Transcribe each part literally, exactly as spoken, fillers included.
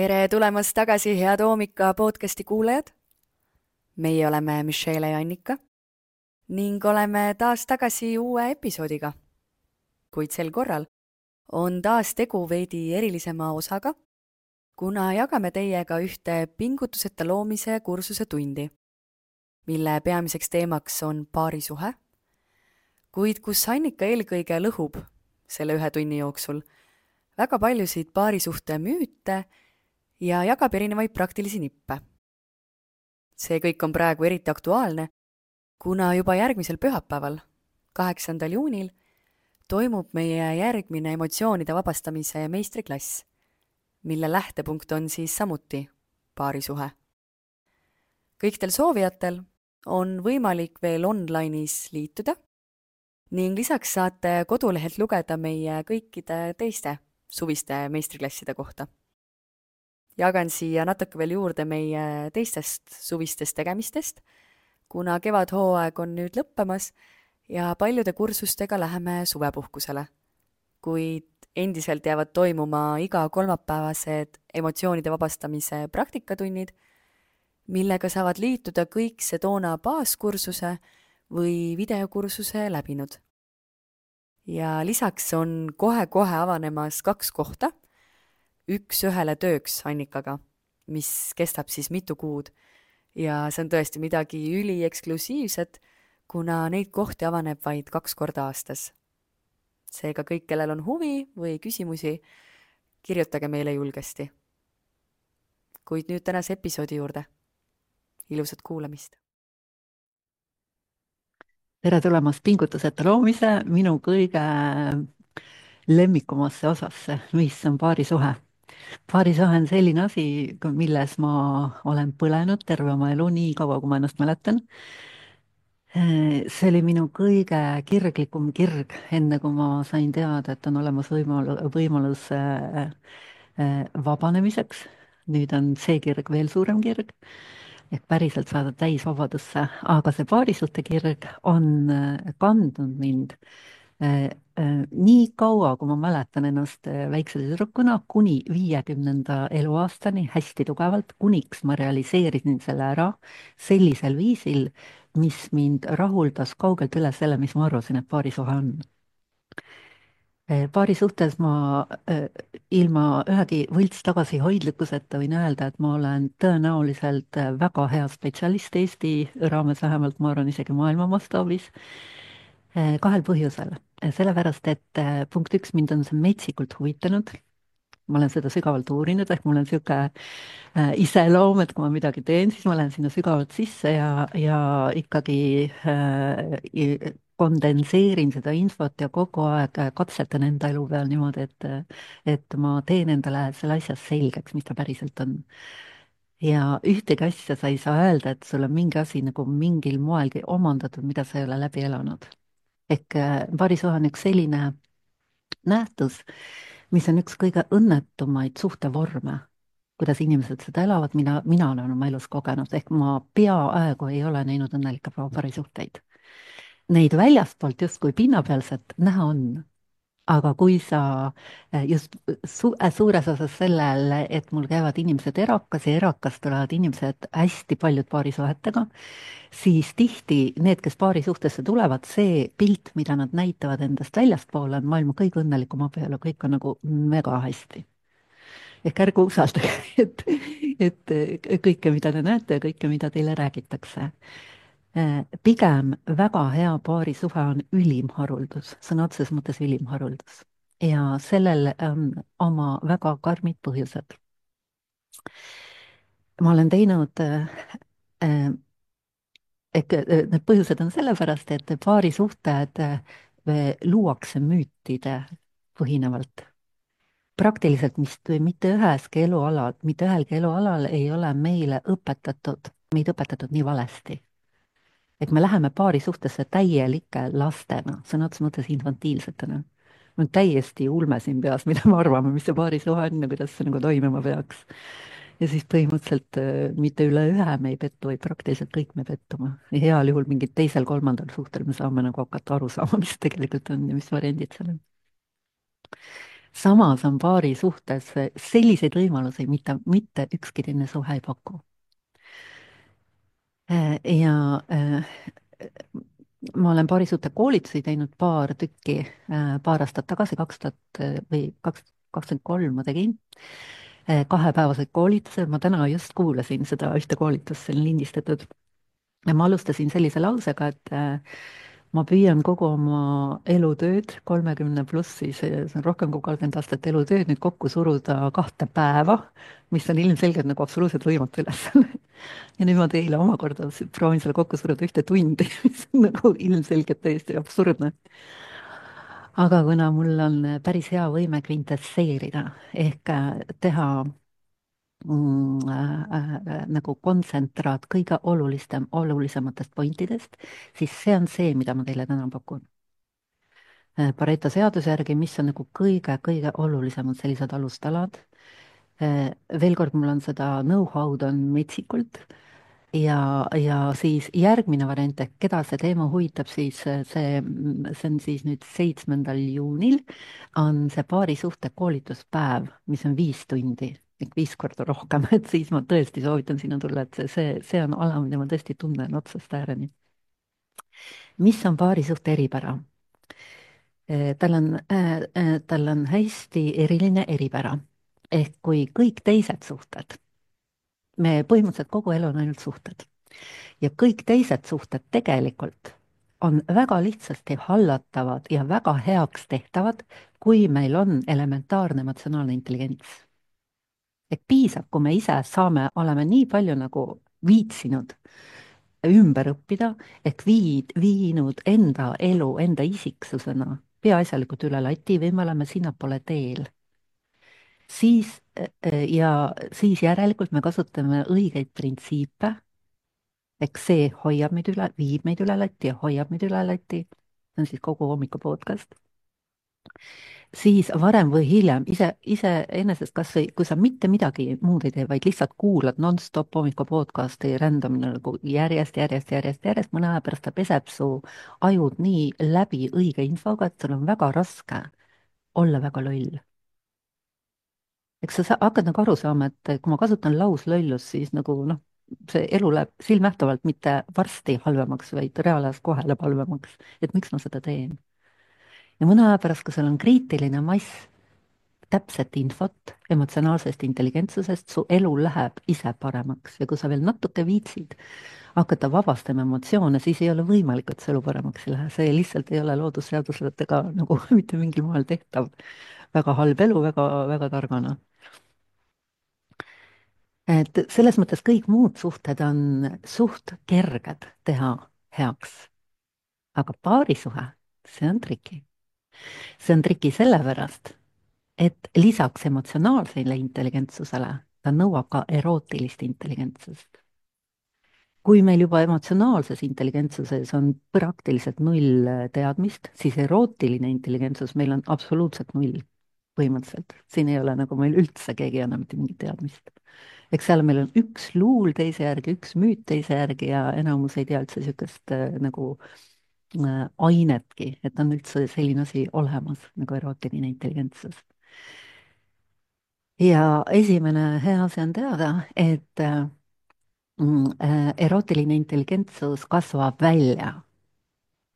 Tere tulemast tagasi, head Oomika podcasti kuulajad. Meie oleme Michelle ja Annika ning oleme taas tagasi uue episoodiga. Kuid sel korral on taas tegu veidi erilisema osaga, kuna jagame teiega ühte pingutuseta loomise kursuse tundi, mille peamiseks teemaks on paarisuhe, kuid kus Annika eelkõige lõhub selle ühe tunni jooksul väga paljusid paarisuhte müüte ja jagab erinevaid praktilisi nippe. See kõik on praegu eriti aktuaalne, kuna juba järgmisel pühapäeval, kaheksandal juunil, toimub meie järgmine emotsioonide vabastamise meistriklass, mille lähtepunkt on siis samuti paarisuhe. Kõikidel soovijatel on võimalik veel online'is liituda ning lisaks saate kodulehelt lugeda meie kõikide teiste suviste meistriklasside kohta. Jagan siia natuke veel juurde meie teistest suvistest tegemistest, kuna kevadhooaeg on nüüd lõppemas ja paljude kursustega läheme suvepuhkusele. Kuid endiselt jäävad toimuma iga kolmapäevased emotsioonide vabastamise praktikatunnid, millega saavad liituda kõik Sedona baaskursuse või videokursuse läbinud. Ja lisaks on kohe-kohe avanemas kaks kohta, üks ühele tööks Annikaga, mis kestab siis mitu kuud ja see on tõesti midagi ülieksklusiivset, kuna neid kohti avaneb vaid kaks korda aastas. Seega kõik, kellel on huvi või küsimusi, kirjutage meile julgesti. Kuid nüüd tänase episoodi juurde. Ilusat kuulamist! Tere tulemast pingutuseta loomise minu kõige lemmikumasse osasse, mis on paarisuhe. Paarisuhe on selline asi, milles ma olen põlenud terve oma elu, nii kaua, kui ma ennast mäletan. See oli minu kõige kirglikum kirg, enne kui ma sain teada, et on olemas võimalus, võimalus vabanemiseks. Nüüd on see kirg veel suurem kirg, ehk päriselt saada täis vabadusse, aga see paarisuhte kirg on kandnud mind nii kaua, kui ma mäletan ennast väikse tüdrukuna, kuni viiekümnenda eluaastani hästi tugevalt, kuniks ma realiseerisin selle ära sellisel viisil, mis mind rahuldas kaugelt üle selle, mis ma arvasin, et paarisuhe on. Paari suhtes ma ilma ühegi võlts tagasihoidlikkuseta võin öelda, et ma olen tõenäoliselt väga hea spetsialist Eesti raames, vähemalt ma arvan isegi maailma mastaabis. Kahel põhjusel. Sellepärast, et punkt üks, mind on see metsikult huvitanud. Ma olen seda sügavalt uurinud, ehk mul on siuke iseloom, et kui ma midagi teen, siis ma lähen sinna sügavalt sisse ja, ja ikkagi äh, kondenseerin seda infot ja kogu aeg katsetan enda elu peal niimoodi, et, et ma teen endale selle asja selgeks, mis ta päriselt on. Ja ühtegi asja sa ei saa öelda, et sul on mingi asi nagu mingil moelgi omandatud, mida sa ei ole läbi elanud. Ehk paarisuhe on üks selline nähtus, mis on üks kõige õnnetumaid suhtevorme, kuidas inimesed seda elavad, mina, mina olen oma elus kogenud, ehk ma peaaegu ei ole näinud õnnelikke paarisuhteid. Neid väljastpoolt justkui pinnapealselt näha on, aga kui sa just su suures osas sellel, et mul käivad inimesed erakas ja erakas tulevad inimesed hästi paljud paarisuhetega, siis tihti need, kes paari suhtesse tulevad, see pilt, mida nad näitavad endast väljaspoole, on maailma kõige õnnelikum abielu, kõik on nagu mega hästi. Ehk ärge usaldage, et, et kõike, mida te näete ja kõike, mida teile räägitakse. Pigem väga hea paarisuhe on ülimharuldus, sõna otseses mõttes ülimharuldus. Ja sellel on oma väga karmid põhjused. Ma olen teinud äh, Ehk need põhjused on sellepärast, et paarisuhted luuakse müütide põhinevalt. Praktiliselt mis, mitte üheski elualal, mitte ühelgi elualal ei ole meile õpetatud, meid õpetatud nii valesti. Et me läheme paarisuhtesse täielike lastena, sõna otseses mõttes infantiilsetena. On täiesti ulme siin peas, mida me arvame, mis see paarisuhe on ja kuidas see nagu toimima peaks. Ja siis põhimõtteliselt mitte üle ühe me ei pettu, vaid praktiliselt kõik me pettuma. Ja heal juhul mingid teisel, kolmandal suhtel me saame nagu hakata aru saama, mis tegelikult on ja mis variandid seal on. samas on paari suhtes selliseid võimalusi, mida mitte ükski teine suhe ei paku. Äh, ja äh, ma olen paarisuhte koolitusi teinud paar tükki, äh, paar aastat tagasi, kaks tuhat või kaks, kakskümmend kolm ma tegin äh, kahepäevased koolitused, ma täna just kuulasin seda ühte koolitust, see on lindistatud. Ja ma alustasin sellise lausega, et äh, ma püüan kogu oma elutööd, kolmekümne plussi, see see on rohkem kui kolmkümmend aastat elutööd, nüüd kokku suruda kahte päeva, mis on ilmselgelt nagu absoluutselt võimatu ülesanne. Ja nüüd ma teile omakorda s- proovin selle kokku suruda ühte tundi, mis on nagu ilmselgelt täiesti absurdne. aga kuna mul on päris hea võime kvintesseerida ehk äh, teha mm, äh, äh, nagu kontsentraat kõige olulisem, olulisematest pointidest, siis see on see, mida ma teile täna pakun. Äh, Pareto seaduse järgi, mis on nagu kõige-kõige olulisemad sellised alustalad. Äh, veel kord, mul on seda know-how'd on metsikult ja, ja siis järgmine variant, ehk keda see teema huvitab, siis äh, see, see on siis nüüd seitsmendal juunil on see paarisuhte koolituspäev, mis on viis tundi ehk viis korda rohkem, et siis ma tõesti soovitan sinna tulla, et see, see, see on ala, mida ma tõesti tunnen otsast ääreni. mis on paarisuhte eripära? Eh, tal on, äh, äh, tal on hästi eriline eripära. ehk kui kõik teised suhted, me põhimõtteliselt kogu elu on ainult suhted ja kõik teised suhted tegelikult on väga lihtsasti hallatavad ja väga heaks tehtavad, kui meil on elementaarne emotsionaalne intelligents. et piisab, kui me ise saame, oleme nii palju nagu viitsinud ümber õppida, ehk viid, viinud enda elu, enda isiksusena peaasjalikult üle lati või me oleme sinnapoole teel, siis äh, ja siis järelikult me kasutame õigeid printsiipe, eks see hoiab meid üle, viib meid üle lati ja hoiab meid üle lati, see on siis kogu hommiku podcast, siis varem või hiljem ise, iseenesest kas või, kui sa mitte midagi muud ei tee, vaid lihtsalt kuulad nonstop hommiku podcasti random nagu järjest, järjest, järjest, järjest, mõne aja pärast ta peseb su ajud nii läbi õige infoga, et sul on väga raske olla väga loll. eks sa sa- hakkad nagu aru saama, et kui ma kasutan lauslöllust, siis nagu noh, see elu läheb silmnähtavalt mitte varsti halvemaks, vaid reaalajas kohe läheb halvemaks, et miks ma seda teen. ja mõne aja pärast, kui sul on kriitiline mass täpset infot emotsionaalsest intelligentsusest, su elu läheb ise paremaks ja kui sa veel natuke viitsid hakata vabastama emotsioone, siis ei ole võimalik, et su elu paremaks ei lähe, see lihtsalt ei ole loodusseadusletega nagu mitte mingil moel tehtav. väga halb elu väga, väga targana. et selles mõttes kõik muud suhted on suht kerged teha heaks, aga paarisuhe, see on triki. see on triki sellepärast, et lisaks emotsionaalsele intelligentsusele ta nõuab ka erootilist intelligentsust. kui meil juba emotsionaalses intelligentsuses on praktiliselt null äh, teadmist, siis erootiline intelligentsus meil on absoluutselt null põhimõtteliselt. siin ei ole nagu meil üldse keegi ei anna mitte mingit teadmist. eks seal meil on üks luul teise järgi, üks müüt teise järgi ja enamus ei tea üldse niisugust äh, nagu äh, ainetki, et on üldse selline asi olemas nagu erootiline intelligentsus. ja esimene hea asi on teada, et äh, mm, äh, erootiline intelligentsus kasvab välja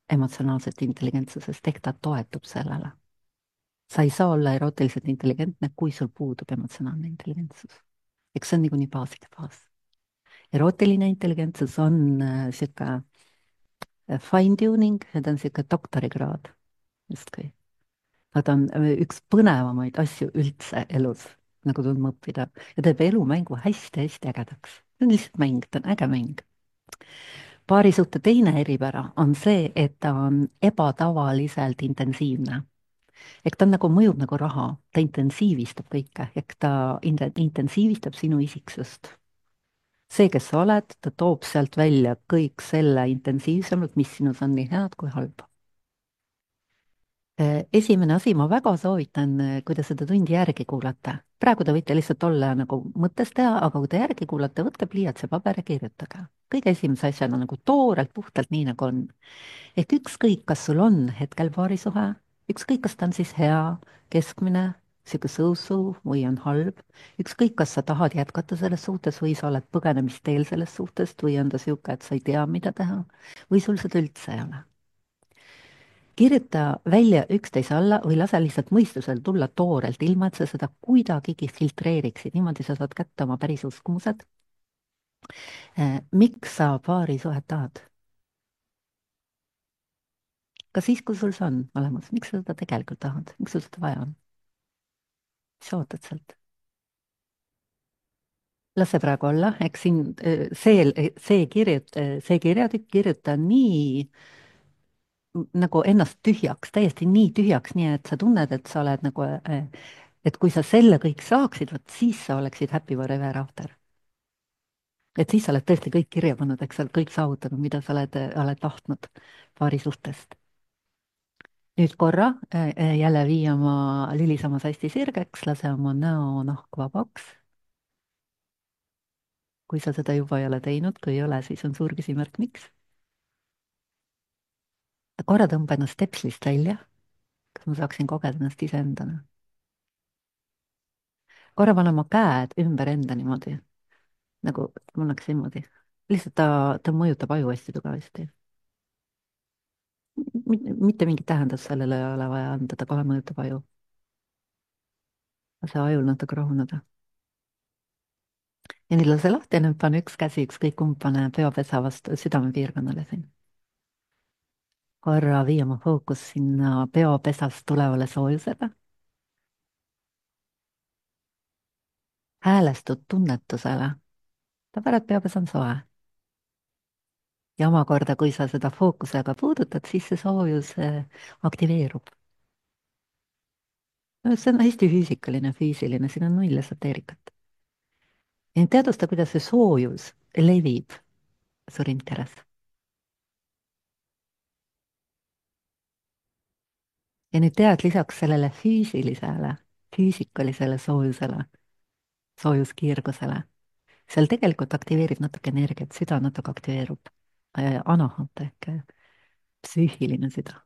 emotsionaalsest intelligentsusest, ehk ta toetub sellele. sa ei saa olla erootiliselt intelligentne, kui sul puudub emotsionaalne intelligentsus. eks see on niikuinii baaside baas. erootiline intelligentsus on niisugune äh, fine tuning ja ta on niisugune doktorikraad justkui. aga ta on äh, üks põnevamaid asju üldse elus, nagu tundma õppida ja teeb elumängu hästi-hästi ägedaks. see on lihtsalt mäng, ta on äge mäng. paarisuhte teine eripära on see, et ta on ebatavaliselt intensiivne. ehk ta on nagu, mõjub nagu raha, ta intensiivistab kõike, ehk ta in- intensiivistab sinu isiksust. see, kes sa oled, ta toob sealt välja kõik selle intensiivsemalt, mis sinus on nii head kui halba. Eh, esimene asi, ma väga soovitan, eh, kui te seda tundi järgi kuulate, praegu te võite lihtsalt olla nagu mõttes teha, aga kui te järgi kuulate, võtke pliiats ja paber ja kirjutage. kõige esimese asjana nagu toorelt, puhtalt nii, nagu on. ehk ükskõik, kas sul on hetkel paarisuhe, ükskõik, kas ta on siis hea, keskmine sihuke so-so või on halb. ükskõik, kas sa tahad jätkata selles suhtes või sa oled põgenemisteel sellest suhtest või on ta sihuke, et sa ei tea, mida teha või sul seda üldse ei ole. kirjuta välja üksteise alla või lase lihtsalt mõistusel tulla toorelt, ilma et sa seda kuidagigi filtreeriksid, niimoodi sa saad kätte oma päris uskumused. Miks sa paarisuhet tahad? ka siis, kui sul see on olemas, miks sa seda tegelikult tahad, miks sul seda vaja on? mis sa ootad sealt? las see praegu olla, eks siin äh, see, see kirjut-, see kirjatükk kirjuta nii m- nagu ennast tühjaks, täiesti nii tühjaks, nii et sa tunned, et sa oled nagu, äh, et kui sa selle kõik saaksid, vot siis sa oleksid happy forever after. et siis sa oled tõesti kõik kirja pannud, eks sa oled kõik saavutanud, mida sa oled, oled tahtnud paari suhtest. nüüd korra äh, äh, jälle vii oma lüli samas hästi sirgeks, lase oma näonahk vabaks. kui sa seda juba ei ole teinud, kui ei ole, siis on suur küsimärk, miks. korra tõmba ennast stepslist välja, kas ma saaksin kogeda ennast iseendana. korra pane oma käed ümber enda niimoodi, nagu mul oleks niimoodi. lihtsalt ta, ta mõjutab aju hästi tugevasti. mitte mingit tähendust sellele ei ole vaja anda, ta kohe mõjutab aju. lase ajul natuke rahuneda. ja nüüd lase lahti ja nüüd pane üks käsi, ükskõik kumb, pane peopesa vastu südamepiirkonnale siin. korra vii oma fookus sinna peopesast tulevale soojusele. häälestud tunnetusele. ta pärast peopesa on soe. ja omakorda, kui sa seda fookusega puudutad, siis see soojus äh, aktiveerub. No, see on hästi füüsikaline, füüsiline, siin on null esoteerikat. ja nüüd teadvusta, kuidas see soojus levib su ringkeres. ja nüüd tead lisaks sellele füüsilisele, füüsikalisele soojusele, soojuskiirgusele, seal tegelikult aktiveerib natuke energiat, süda natuke aktiveerub äh,, anahat ehk äh, psüühiline süda.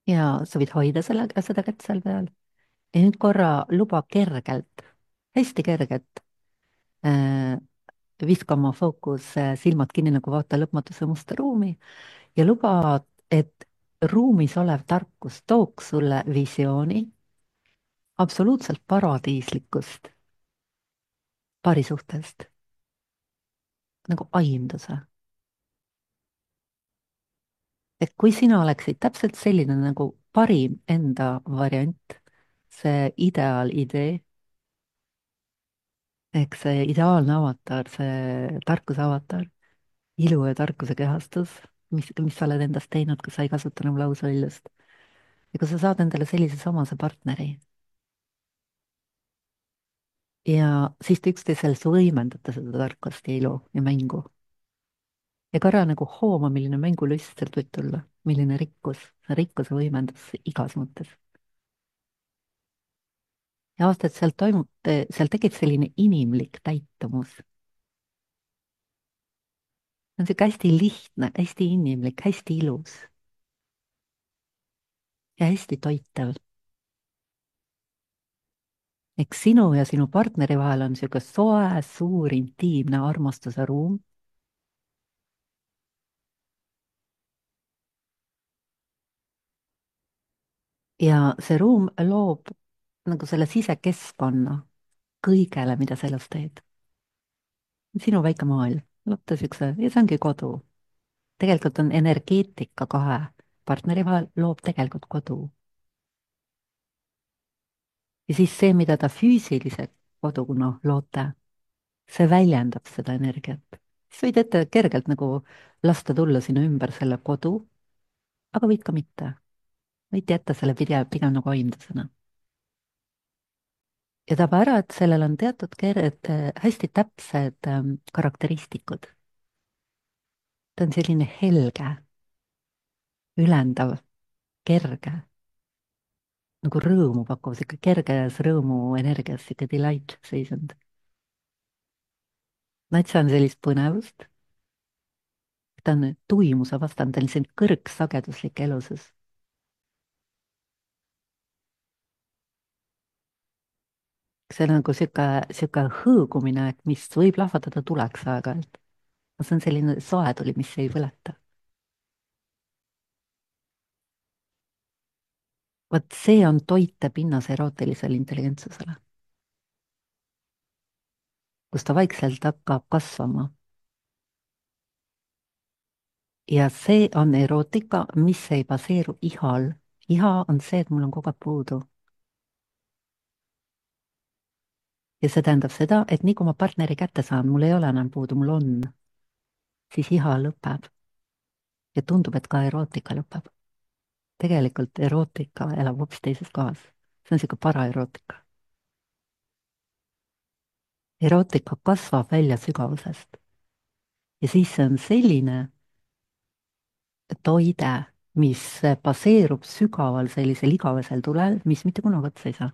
ja sa võid hoida selle, seda kätt seal peal ja nüüd korra luba kergelt, hästi kergelt äh, viska oma fookus äh, silmad kinni nagu vaata lõpmatuse musta ruumi ja luba, et ruumis olev tarkus tooks sulle visiooni absoluutselt paradiislikust paarisuhtest, nagu aimduse. et kui sina oleksid täpselt selline nagu parim enda variant, see ideaalidee, ehk see ideaalne avatar, see tarkuse avatar, ilu ja tarkuse kehastus, mis, mis sa oled endast teinud, kui sa ei kasuta enam lausväljust. ja kui sa saad endale sellise samase partneri ja siis te üksteisel võimendate seda tarkust ja ilu ja mängu. ja korra nagu hooma, milline mängulust sealt võib tulla, milline rikkus, see rikkuse võimendus igas mõttes. ja aastat seal toimub, seal tekib selline inimlik täitumus. see on sihuke hästi lihtne, hästi inimlik, hästi ilus ja hästi toitev. eks sinu ja sinu partneri vahel on sihuke soe, suur, intiimne armastuse ruum. ja see ruum loob nagu selle sisekeskkonna kõigele, mida sa elus teed. sinu väike maailm, vaata siukse, ja see ongi kodu. tegelikult on energeetika kahe partneri vahel loob tegelikult kodu. ja siis see, mida ta füüsilise koduna loote, see väljendab seda energiat. siis võid ette kergelt nagu lasta tulla sinu ümber selle kodu, aga võid ka mitte. võid jätta selle pigem, pigem nagu aimdusena. ja taba ära, et sellel on teatud keered, hästi täpsed ähm, karakteristikud. ta on selline helge, ülendav, kerge, nagu rõõmu pakkuv, sihuke kerges rõõmu energias, sihuke delight seisund. natsa on sellist põnevust, ta on tuimuse vastane, ta on selline kõrgsageduslik elusus. see on nagu sihuke, sihuke hõõgumine, et mis võib lahvatada tuleks aeg-ajalt. see on selline soe tuli, mis ei põleta. vot see on toitepinnas erootilisele intelligentsusele, kus ta vaikselt hakkab kasvama. ja see on erootika, mis ei baseeru ihal. iha on see, et mul on kogu aeg puudu. ja see tähendab seda, et nii kui ma partneri kätte saan, mul ei ole enam puudu, mul on, siis iha lõpeb. ja tundub, et ka erootika lõpeb. tegelikult erootika elab hoopis teises kohas. see on niisugune paraerootika. erootika kasvab välja sügavusest. ja siis see on selline toide, mis baseerub sügaval sellisel igavesel tulel, mis mitte kunagi otsa ei saa.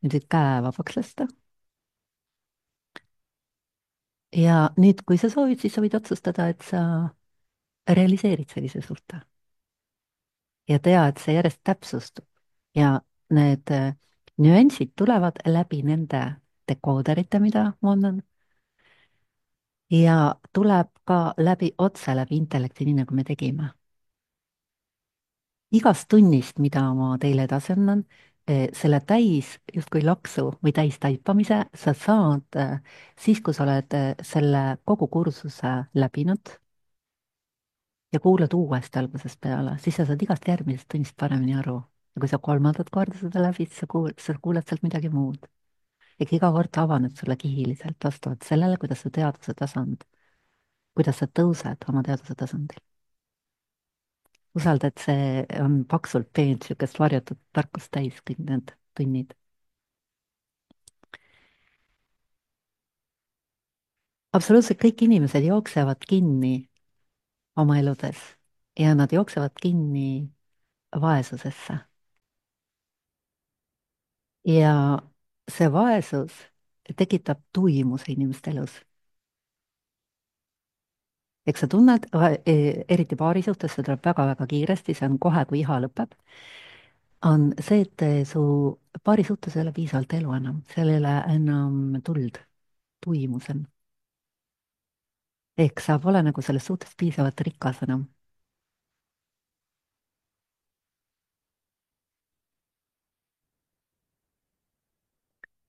nüüd võid käe vabaks lasta. ja nüüd, kui sa soovid, siis sa võid otsustada, et sa realiseerid sellise suhte. ja tea, et see järjest täpsustub. ja need äh, nüansid tulevad läbi nende dekooderite, mida ma annan. ja tuleb ka läbi otse läbi intellekti, nii nagu me tegime. igast tunnist, mida ma teile edasi annan, eh, selle täis justkui laksu või täis taipamise sa saad eh, siis, kui sa oled eh, selle kogu kursuse läbinud ja kuulad uuesti algusest peale, siis sa saad igast järgmisest tunnist paremini aru. ja kui sa kolmandat korda seda läbid, sa kuulad, sa kuulad sealt midagi muud. ehk iga kord avaneb sulle kihiliselt vastavalt sellele, kuidas su teadvuse tasand, kuidas sa tõused oma teadvuse tasandil. usalda, et see on paksult peent niisugust varjatud tarkust täis, kõik need tunnid. absoluutselt kõik inimesed jooksevad kinni oma eludes ja nad jooksevad kinni vaesusesse. ja see vaesus tekitab tuimuse inimeste elus. eks sa tunned, eriti paari suhtes, see tuleb väga-väga kiiresti, see on kohe, kui iha lõpeb, on see, et su paari suhtes ei ole piisavalt elu enam, seal ei ole enam tuld, tuimus on. ehk sa pole nagu selles suhtes piisavalt rikas enam.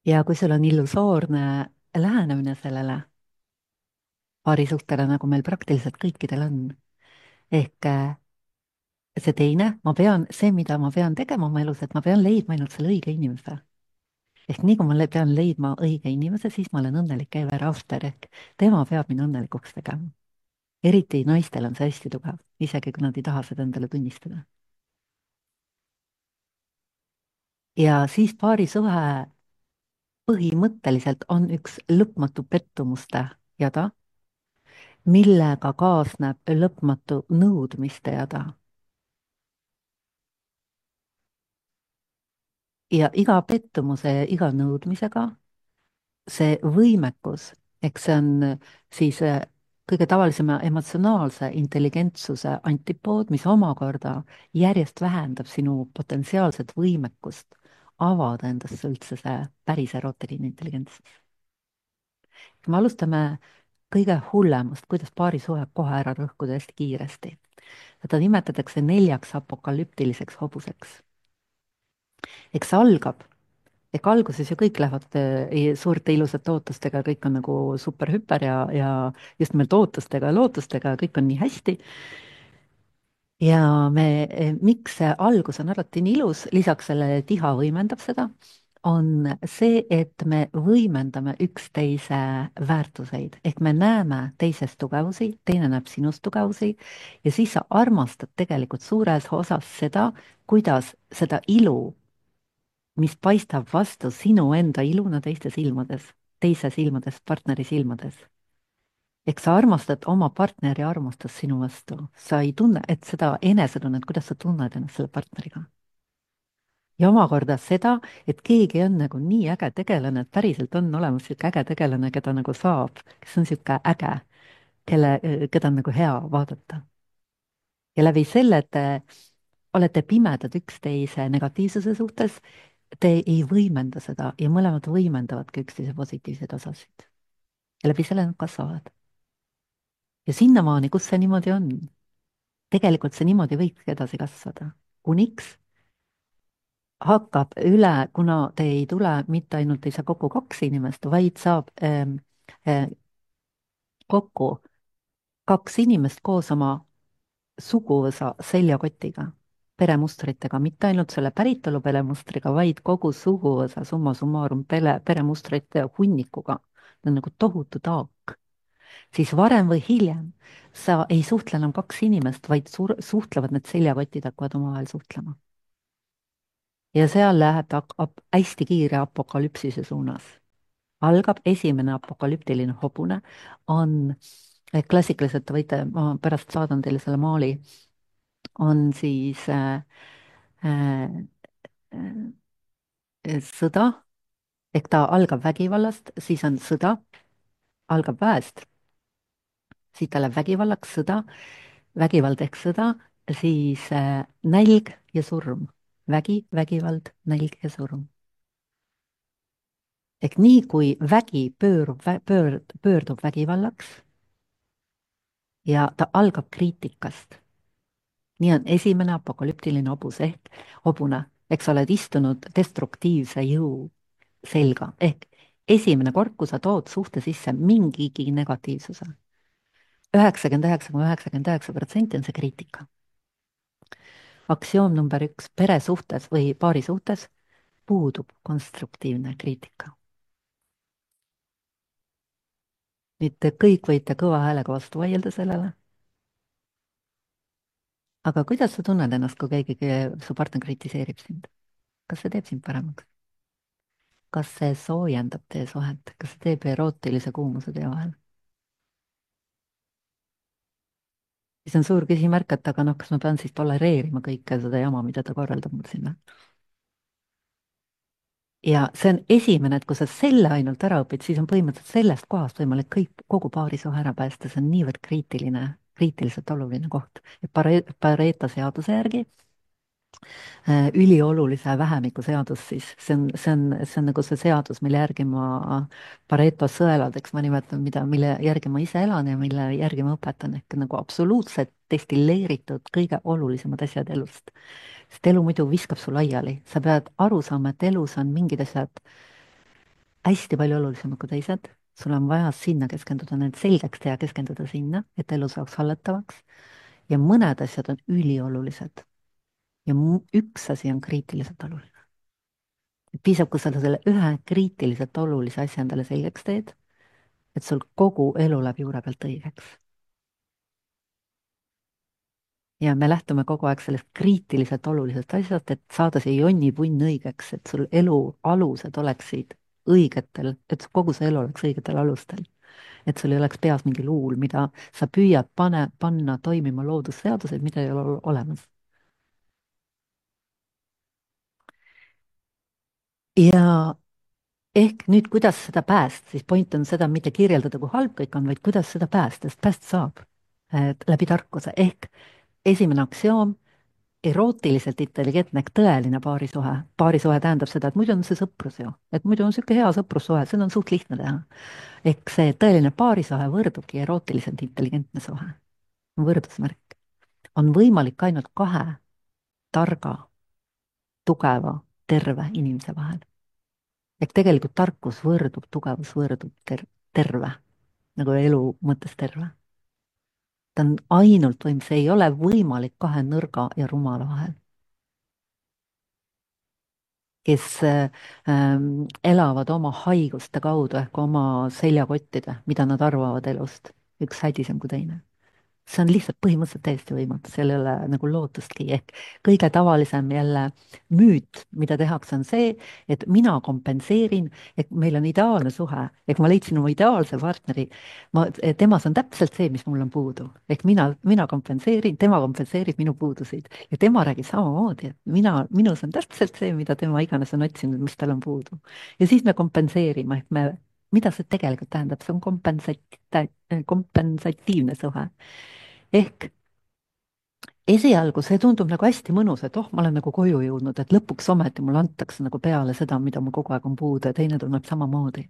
ja kui sul on illusoorne lähenemine sellele paarisuhtele, nagu meil praktiliselt kõikidel on, ehk äh, see teine, ma pean, see, mida ma pean tegema oma elus, et ma pean leidma ainult selle õige inimese. ehk nii kui ma le- pean leidma õige inimese, siis ma olen õnnelik ever after, ehk tema peab mind õnnelikuks tegema. eriti naistel on see hästi tugev, isegi kui nad ei taha seda endale tunnistada. ja siis paarisuhe põhimõtteliselt on üks lõpmatu pettumuste jada, millega kaasneb lõpmatu nõudmiste jada. ja iga pettumuse ja iga nõudmisega see võimekus, eks see on siis äh, kõige tavalisema emotsionaalse intelligentsuse antipood, mis omakorda järjest vähendab sinu potentsiaalset võimekust avada endasse üldse see päris erootiline intelligentsus. me alustame kõige hullemast, kuidas paarisuhe kohe ära rõhkuda hästi kiiresti. seda nimetatakse neljaks apokalüptiliseks hobuseks. eks see algab, ehk alguses ju kõik lähevad eh, suurte ilusate ootustega, kõik on nagu super-hüper ja, ja just nimelt ootustega ja lootustega, kõik on nii hästi. ja me, eh, miks see algus on alati nii ilus, lisaks sellele, et iha võimendab seda, on see, et me võimendame üksteise väärtuseid, ehk me näeme teises tugevusi, teine näeb sinus tugevusi ja siis sa armastad tegelikult suures osas seda, kuidas seda ilu, mis paistab vastu sinu enda iluna teiste silmades, teise silmades, partneri silmades. ehk sa armastad oma partneri armastust sinu vastu, sa ei tunne, et seda enesetunnet, kuidas sa tunned ennast selle partneriga. ja omakorda seda, et keegi on nagu nii äge tegelane, et päriselt on olemas niisugune äge tegelane, keda nagu saab, kes on niisugune äge. kelle, keda on nagu hea vaadata. ja läbi selle, et te olete pimedad üksteise negatiivsuse suhtes, te ei võimenda seda ja mõlemad võimendavadki üksteise positiivseid osasid. ja läbi selle nad kasvavad. ja sinnamaani, kus see niimoodi on, tegelikult see niimoodi võikski edasi kasvada, kuniks hakkab üle, kuna te ei tule, mitte ainult ei saa kokku kaks inimest, vaid saab ähm, äh, kokku kaks inimest koos oma suguvõsa seljakotiga, peremustritega, mitte ainult selle päritolu peremustriga, vaid kogu suguvõsa summa summarum pere, peremustrite hunnikuga. See on nagu tohutu taak. Siis varem või hiljem sa ei suhtle enam kaks inimest, vaid suur, suhtlevad need seljakotid hakkavad omavahel suhtlema. ja seal läheb ta ap- hästi kiire apokalüpsise suunas. algab esimene apokalüptiline hobune, on klassikaliselt, te võite, ma pärast saadan teile selle maali, on siis äh, äh, äh, sõda, ehk ta algab vägivallast, siis on sõda, algab väest, siis ta läheb vägivallaks, sõda, vägivald ehk sõda, siis äh, nälg ja surm. vägi, vägivald, nälg ja surm. ehk nii kui vägi pöörub, pöörd, pöördub vägivallaks ja ta algab kriitikast. nii on esimene apokalüptiline hobus ehk hobune, eks sa oled istunud destruktiivse jõu selga, ehk esimene kord, kui sa tood suhte sisse mingigi negatiivsuse. üheksakümmend üheksa koma üheksakümmend üheksa protsenti on see kriitika. Aktsioom number üks, pere suhtes või paari suhtes puudub konstruktiivne kriitika. nüüd te kõik võite kõva häälega vastu vaielda sellele. aga kuidas sa tunned ennast, kui keegi, su partner kritiseerib sind? kas see teeb sind paremaks? kas see soojendab teie suhet, kas see teeb erootilise kuumuse teie vahel? siis on suur küsimärk, et aga noh, kas ma pean siis tolereerima kõike seda jama, mida ta korraldab mul sinna? ja see on esimene, et kui sa selle ainult ära õpid, siis on põhimõtteliselt sellest kohast võimalik kõik, kogu paarisuhe ära päästa, see on niivõrd kriitiline, kriitiliselt oluline koht. et Pare-, Pareto seaduse järgi äh, üliolulise vähemiku seadus siis, see on, see on, see on nagu see seadus, mille järgi ma Pareto sõeladeks ma nimetan, mida, mille järgi ma ise elan ja mille järgi ma õpetan, ehk nagu absoluutselt destilleeritud kõige olulisemad asjad elust. sest elu muidu viskab su laiali, sa pead aru saama, et elus on mingid asjad hästi palju olulisemad kui teised, sul on vaja sinna keskenduda, need selgeks teha, keskenduda sinna, et elu saaks hallatavaks. ja mõned asjad on üliolulised ja mu- üks asi on kriitiliselt oluline. piisab, kui sa selle ühe kriitiliselt olulise asja endale selgeks teed, et sul kogu elu läheb juure pealt õigeks. ja me lähtume kogu aeg sellest kriitiliselt olulisest asjast, et saada see jonnipunn õigeks, et sul elu alused oleksid õigetel, et kogu see elu oleks õigetel alustel. et sul ei oleks peas mingi luul, mida sa püüad pane, panna toimima loodusseadused, mida ei ole ol- olemas. ja ehk nüüd, kuidas seda päästa, siis point on seda mitte kirjeldada, kui halb kõik on, vaid kuidas seda päästa, sest päästa saab et läbi tarkuse. ehk esimene aktsioom, erootiliselt intelligentne ehk tõeline paarisuhe. paarisuhe tähendab seda, et muidu on see sõprus ju, et muidu on niisugune hea sõprussuhe, seda on suht lihtne teha. ehk see tõeline paarisuhe võrdubki erootiliselt intelligentne suhe, võrdusmärk. on võimalik ainult kahe targa, tugeva, terve inimese vahel. ehk tegelikult tarkus võrdub, tugevus võrdub ter-, terve, nagu elu mõttes terve. ta on ainult võim, see ei ole võimalik kahe nõrga ja rumala vahel, kes äh, ähm, elavad oma haiguste kaudu ehk oma seljakottide, mida nad arvavad elust, üks hädisem kui teine. see on lihtsalt põhimõtteliselt täiesti võimatu, seal ei ole nagu lootustki, ehk kõige tavalisem jälle müüt, mida tehakse, on see, et mina kompenseerin, et meil on ideaalne suhe, ehk ma leidsin oma ideaalse partneri, ma, temas on täpselt see, mis mul on puudu, ehk mina, mina kompenseerin, tema kompenseerib minu puudusid ja tema räägib samamoodi, et mina, minus on täpselt see, mida tema iganes on otsinud, mis tal on puudu. ja siis me kompenseerime, ehk me mida see tegelikult tähendab, see on kompensat-, kompensatiivne suhe. ehk esialgu see tundub nagu hästi mõnus, et oh, ma olen nagu koju jõudnud, et lõpuks ometi mulle antakse nagu peale seda, mida mul kogu aeg on puudu ja teine tunneb samamoodi.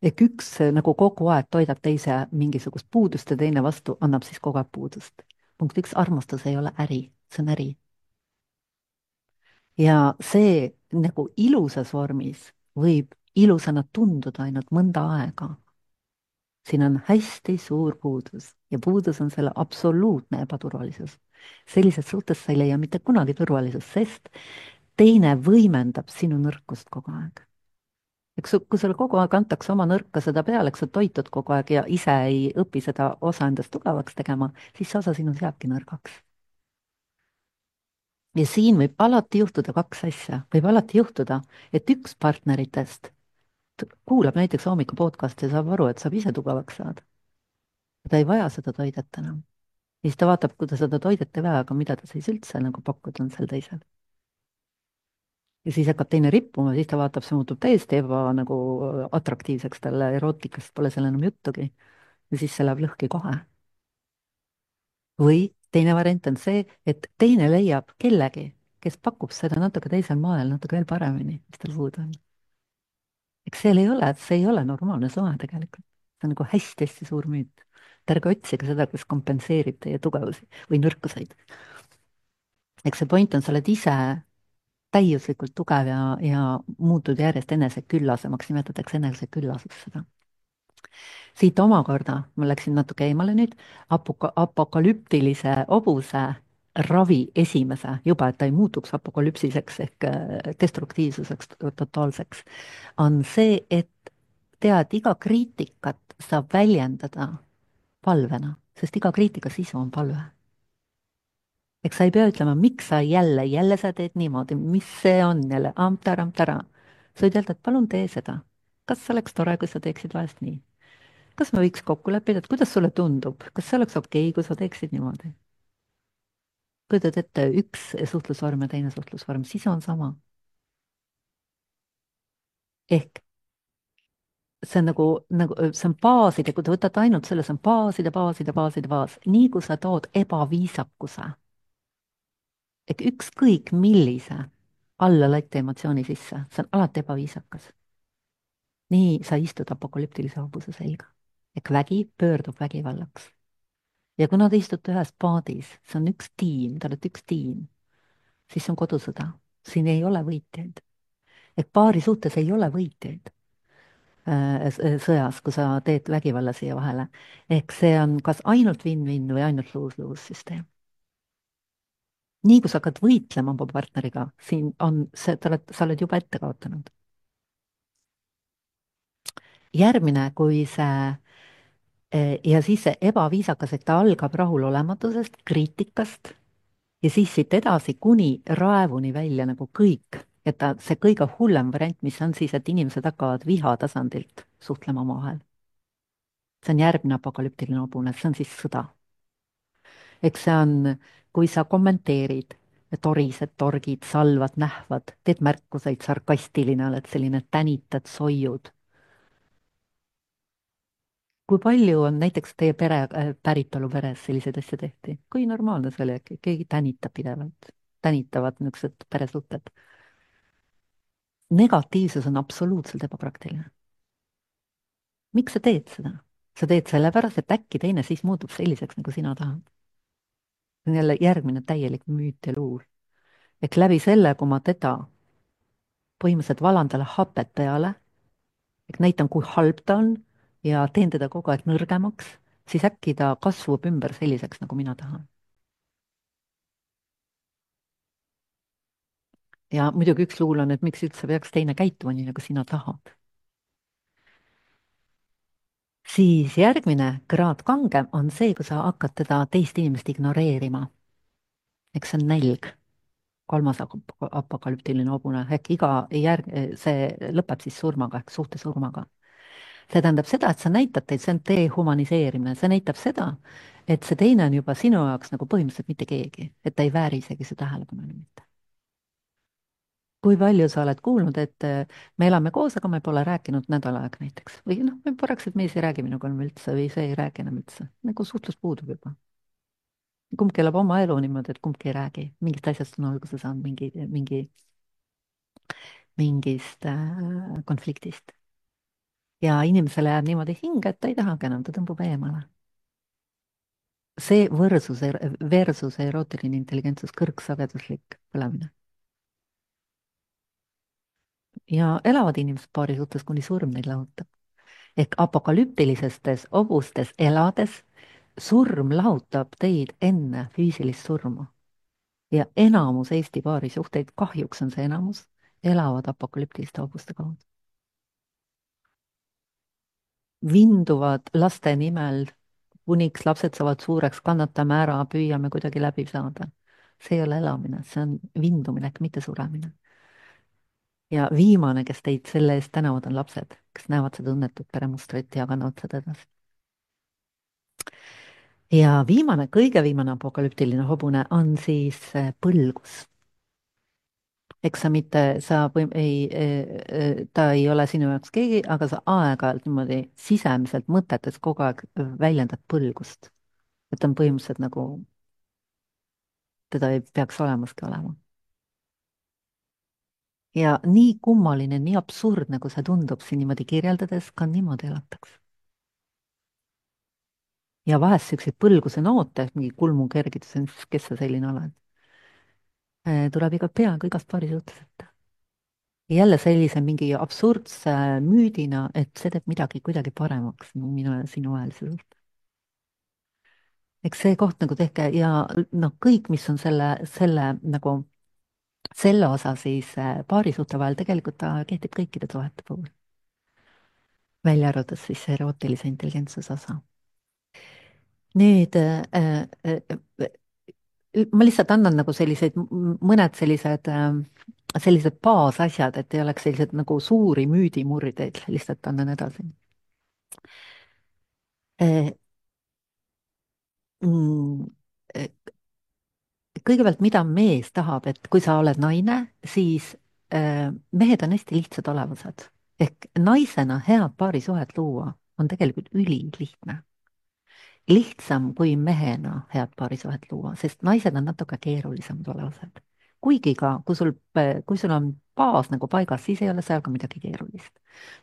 ehk üks eh, nagu kogu aeg toidab teise mingisugust puudust ja teine vastu annab siis kogu aeg puudust. punkt üks, armastus ei ole äri, see on äri. ja see nagu ilusas vormis võib ilusana tunduda ainult mõnda aega. siin on hästi suur puudus ja puudus on selle absoluutne ebaturvalisus. sellises suhtes sa ei leia mitte kunagi turvalisust, sest teine võimendab sinu nõrkust kogu aeg. eks su- kui sulle kogu aeg antakse oma nõrka seda peale, eks sa toitud kogu aeg ja ise ei õpi seda osa endast tugevaks tegema, siis see osa sinus jääbki nõrgaks. ja siin võib alati juhtuda kaks asja, võib alati juhtuda, et üks partneritest t- kuulab näiteks hommiku podcast'i ja saab aru, et saab ise tugevaks saada. ta ei vaja seda toidet enam. ja siis ta vaatab, kui ta seda toidet ei vaja, aga mida ta siis üldse nagu pakkuda on sel teisel. ja siis hakkab teine rippuma, siis ta vaatab, see muutub täiesti eba nagu atraktiivseks talle, erootikast pole seal enam juttugi. ja siis see läheb lõhki kohe. või teine variant on see, et teine leiab kellegi, kes pakub seda natuke teisel moel, natuke veel paremini, mis tal puudu on. eks seal ei ole, see ei ole normaalne suhe tegelikult. see on nagu hästi-hästi suur müüt. et ärge otsige seda, kes kompenseerib teie tugevusi või nõrkuseid. eks see point on, sa oled ise täiuslikult tugev ja, ja muutud järjest eneseküllasemaks, nimetatakse eneseküllaseks seda. siit omakorda, ma läksin natuke eemale nüüd, apoka-, apokalüptilise hobuse ravi esimese, juba et ta ei muutuks apokalüpsiseks ehk äh, destruktiivsuseks totaalseks, on see, et tead, iga kriitikat saab väljendada palvena, sest iga kriitika sisu on palve. eks sa ei pea ütlema, miks sa jälle, jälle sa teed niimoodi, mis see on jälle, amtar-amtara. sa võid öelda, et palun tee seda. kas oleks tore, kui sa teeksid vahest nii? kas me võiks kokku leppida, et kuidas sulle tundub, kas see oleks okei okay,, kui sa teeksid niimoodi? kujutad ette, üks suhtlusvorm ja teine suhtlusvorm, sisu on sama. ehk see on nagu, nagu see on baaside, kui te võtate ainult selle, see on baaside, baaside, baaside, baas. nii kui sa tood ebaviisakuse ehk ükskõik millise alla laita emotsiooni sisse, see on alati ebaviisakas. nii sa istud apokalüptilise hobuse selga. ehk vägi pöördub vägivallaks. ja kuna te istute ühes paadis, see on üks tiim, te olete üks tiim, siis see on kodusõda. siin ei ole võitjaid. ehk paari suhtes ei ole võitjaid äh, sõjas, kui sa teed vägivalla siia vahele. ehk see on kas ainult win-win või ainult lose-lose süsteem. nii kui sa hakkad võitlema oma partneriga, siin on see, sa oled, sa oled juba ette kaotanud. järgmine, kui see eh, ja siis see ebaviisakas, et ta algab rahulolematusest, kriitikast ja siis siit edasi kuni raevuni välja nagu kõik, et ta, see kõige hullem variant, mis on siis, et inimesed hakkavad viha tasandilt suhtlema omavahel. see on järgmine apokalüptiline hobune, see on siis sõda. eks see on, kui sa kommenteerid, torised, torgid, salvad, nähvad, teed märkuseid, sarkastiline oled, selline tänitad, soiud. kui palju on näiteks teie pere äh,, päritolu peres selliseid asju tehti? kui normaalne see oli, äkki keegi tänitab pidevalt, tänitavad niisugused peresuhted. negatiivsus on absoluutselt ebapraktiline. miks sa teed seda? sa teed sellepärast, et äkki teine siis muutub selliseks, nagu sina tahad. see on jälle järgmine täielik müüt ja luul. ehk läbi selle, kui ma teda põhimõtteliselt valan talle hapet peale, ehk näitan, kui halb ta on ja teen teda kogu aeg nõrgemaks, siis äkki ta kasvab ümber selliseks, nagu mina tahan. ja muidugi üks luul on, et miks üldse peaks teine käituma nii, nagu sina tahad. siis järgmine kraad kangem on see, kui sa hakkad teda teist inimest ignoreerima. eks see on nälg, kolmas ap- apokalüptiline hobune, ehk iga järg-, see lõpeb siis surmaga ehk suhte surmaga. see tähendab seda, et sa näitad teid, see on dehumaniseerimine, see näitab seda, et see teine on juba sinu jaoks nagu põhimõtteliselt mitte keegi, et ta ei vääri isegi su tähelepanu mitte. kui palju sa oled kuulnud, et äh, me elame koos, aga me pole rääkinud nädal aega näiteks või noh, me praktiliselt mees ei räägi minuga enam üldse või see ei räägi enam üldse, nagu suhtlus puudub juba. kumbki elab oma elu niimoodi, et kumbki ei räägi, mingist asjast on alguse saanud mingi, mingi, mingist äh, konfliktist. ja inimesele jääb niimoodi hinge, et ta ei tahagi enam, ta tõmbub eemale. see võrsus, versus erootiline intelligentsus, kõrgsageduslik põlemine. ja elavad inimesed paari suhtes, kuni surm neid lahutab. ehk apokalüptilistes hobustes elades surm lahutab teid enne füüsilist surma. ja enamus Eesti paarisuhteid, kahjuks on see enamus, elavad apokalüptiliste hobuste kaudu. Vinduvad laste nimel, kuniks lapsed saavad suureks, kannatame ära, püüame kuidagi läbi saada. see ei ole elamine, see on vindumine, mitte suremine. ja viimane, kes teid selle eest tänavad, on lapsed, kes näevad seda õnnetut peremustrit ja kannavad seda edasi. ja viimane, kõige viimane apokalüptiline hobune on siis äh, põlgus. eks sa mitte, sa või ei, ta ei ole sinu jaoks keegi, aga sa aeg-ajalt niimoodi sisemiselt mõtetes kogu aeg väljendad põlgust. et on põhimõtteliselt nagu, teda ei peaks olemaski olema. ja nii kummaline, nii absurdne, kui see tundub siin niimoodi kirjeldades, ka niimoodi elatakse. ja vahest siukseid põlguse noote, mingi kulmukergitus, kes sa selline oled, tuleb iga peaaegu igast paari suhtes ette. jälle sellise mingi absurdse müüdina, et see teeb midagi kuidagi paremaks minu ja sinu vahelise suhte. eks see koht nagu tehke ja noh, kõik, mis on selle, selle nagu selle osa siis äh, paarisuhte vahel, tegelikult ta kehtib kõikide suhete puhul. välja arvatud siis see erootilise intelligentsuse osa. nüüd äh, äh, äh, ma lihtsalt annan nagu selliseid, mõned sellised äh, sellised baasasjad, et ei oleks sellised nagu suuri müüdimurdeid, lihtsalt annan edasi. Mm, kõigepealt, mida mees tahab, et kui sa oled naine, siis äh, mehed on hästi lihtsad olevused. ehk naisena head paarisuhet luua on tegelikult ülilihtne. lihtsam kui mehena head paarisuhet luua, sest naised on natuke keerulisemad olevused. kuigi ka, kui sul, kui sul on baas nagu paigas, siis ei ole seal ka midagi keerulist.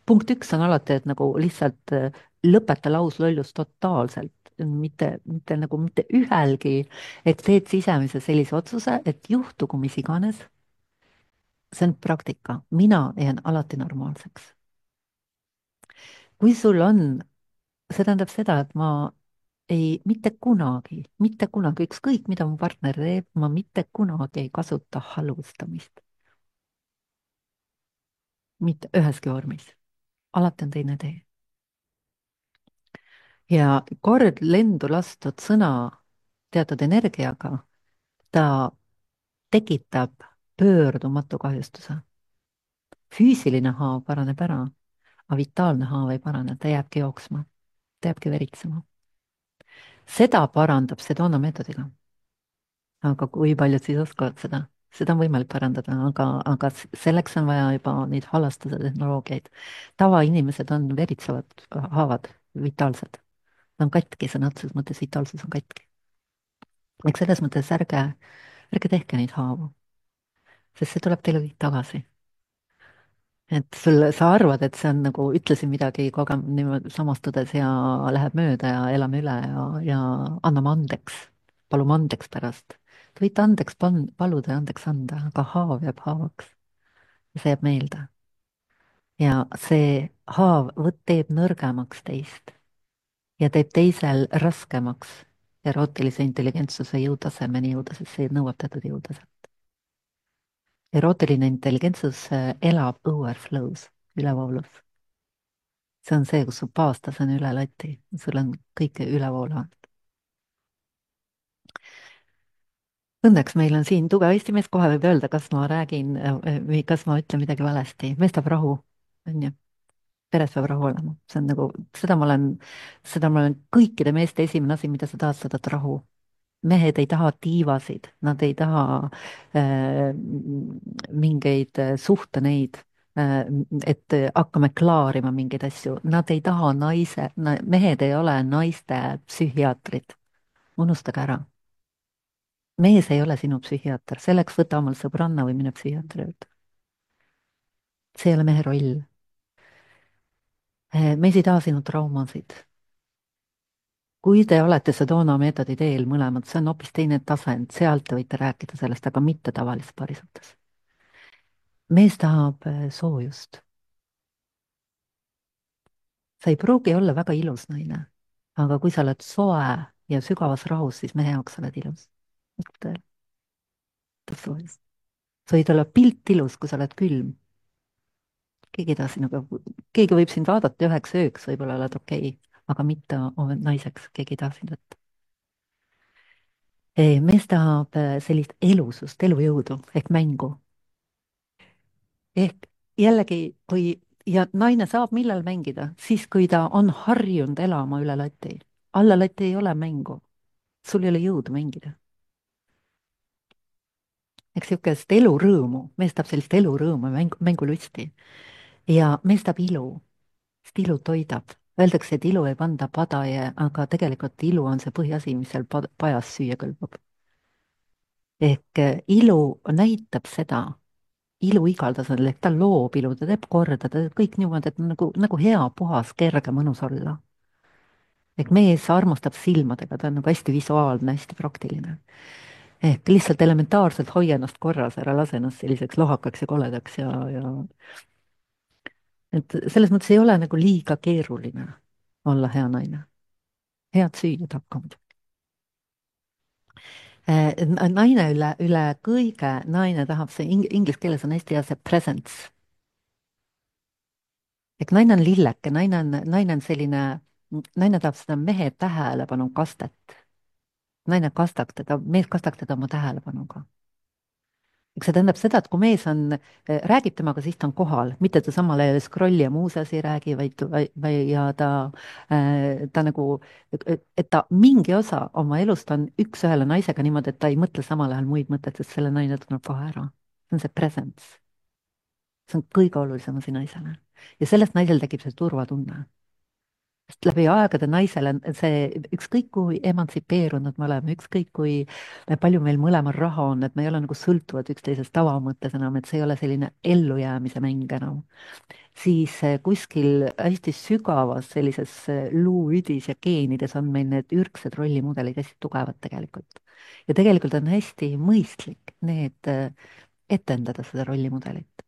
punkt üks on alati, et nagu lihtsalt äh, lõpeta lauslollus totaalselt, mitte, mitte nagu mitte ühelgi, et teed sisemise sellise otsuse, et juhtugu mis iganes, see on praktika, mina jään alati normaalseks. kui sul on, see tähendab seda, et ma ei, mitte kunagi, mitte kunagi, ükskõik mida mu partner teeb, ma mitte kunagi ei kasuta halvustamist. mitte üheski vormis. alati on teine tee. ja kord lendu lastud sõna teatud energiaga, ta tekitab pöördumatu kahjustuse. füüsiline haav paraneb ära, aga vitaalne haav ei parane, ta jääbki jooksma, ta jääbki veritsema. seda parandab Sedona meetodiga. aga kui paljud siis oskavad seda? seda on võimalik parandada, aga, aga selleks on vaja juba neid halastuse tehnoloogiaid. tavainimesed on veritsevad haavad, vitaalsed. Nad on katki, sõna otseses mõttes vitaalsus on katki. eks selles mõttes ärge, ärge tehke neid haavu, sest see tuleb teile kõik tagasi. et sul, sa arvad, et see on nagu, ütlesin midagi koge-, niimoodi samastudes ja läheb mööda ja elame üle ja, ja anname andeks, palume andeks pärast. Te võite andeks pan-, paluda ja andeks anda, aga haav jääb haavaks. see jääb meelde. ja see haav võt-, teeb nõrgemaks teist ja teeb teisel raskemaks erootilise intelligentsuse jõutasemeni jõuda, sest see nõuab teatud jõutaset. erootiline intelligentsus elab overflow's, ülevoolus. see on see, kus su baastase on üle lati, sul on kõike ülevoolavat. Õnneks meil on siin tugev Eesti mees, kohe võib öelda, kas ma räägin või kas ma ütlen midagi valesti. mees tahab rahu, on ju. peres peab rahu olema, see on nagu, seda ma olen, seda ma olen kõikide meeste esimene asi, mida sa tahad, sa tahad rahu. mehed ei taha tiivasid, nad ei taha äh, mingeid äh, suhteneid äh,, et hakkame klaarima mingeid asju, nad ei taha naise na,, mehed ei ole naiste psühhiaatrid, unustage ära. mees ei ole sinu psühhiaater, selleks võta omal sõbranna või mine psühhiaatri juurde. see ei ole mehe roll. Äh, mees ei taha sinu traumasid. kui te olete Sedona meetodi teel mõlemad, see on hoopis teine tasand, sealt te võite rääkida sellest, aga mitte tavalises parisuhtes. mees tahab äh, soojust. sa ei pruugi olla väga ilus naine, aga kui sa oled soe ja sügavas rahus, siis mehe jaoks sa oled ilus. tõele, soojust. sa võid olla pilt ilus, kui sa oled külm. keegi ei taha sinuga, keegi võib sind vaadata üheks ööks, võib-olla oled okei okay,, aga mitte naiseks, keegi ei taha sind võtta. mees tahab äh, sellist elusust, elujõudu ehk mängu. ehk jällegi, kui ja naine saab millal mängida, siis kui ta on harjunud elama üle lati. alla lati ei ole mängu, sul ei ole jõudu mängida. eks niisugust elurõõmu, mees tahab sellist elurõõmu, mängu, mängulusti. ja mees tahab ilu, sest ilu toidab. Öeldakse, et ilu ei panda padaje, aga tegelikult ilu on see põhiasi, mis seal pad- pajas süüa kõlbab. ehk eh, ilu näitab seda, ilu igal tasandil, ehk ta loob ilu, ta teeb korda, ta teeb kõik niimoodi, et nagu, nagu hea, puhas, kerge, mõnus olla. ehk mees armastab silmadega, ta on nagu hästi visuaalne, hästi praktiline. ehk lihtsalt elementaarselt hoia ennast korras, ära lase ennast selliseks lohakaks ja koledaks ja, ja et selles mõttes ei ole nagu liiga keeruline olla hea naine. head süüa tahab ka muidugi. Eh, n- naine üle, üle kõige, naine tahab see ing-, inglise keeles on hästi hea see presence. ehk naine on lilleke, naine on, naine on selline, naine tahab seda mehe tähelepanu kastet. naine kastaks teda, mees kastaks teda oma tähelepanuga. eks see tähendab seda, et kui mees on, räägib temaga, siis ta on kohal, mitte ta samal ajal scroll'i ja muus asi ei räägi, vaid, või, või ja ta, ta nagu, et ta mingi osa oma elust on üks-ühele naisega niimoodi, et ta ei mõtle samal ajal muid mõtteid, sest selle naine tunneb kohe ära. see on see presence. see on kõige olulisem asi naisele. ja sellest naisel tekib see turvatunne. sest läbi aegade naisele see, ükskõik kui emantsipeerunud me oleme, ükskõik kui palju meil mõlemal raha on, et me ei ole nagu sõltuvad üksteisest tavamõttes enam, et see ei ole selline ellujäämise mäng enam, siis eh, kuskil hästi sügavas sellises eh, luuüdis ja geenides on meil need ürgsed rollimudelid hästi tugevad tegelikult. ja tegelikult on hästi mõistlik need eh, etendada seda rollimudelit.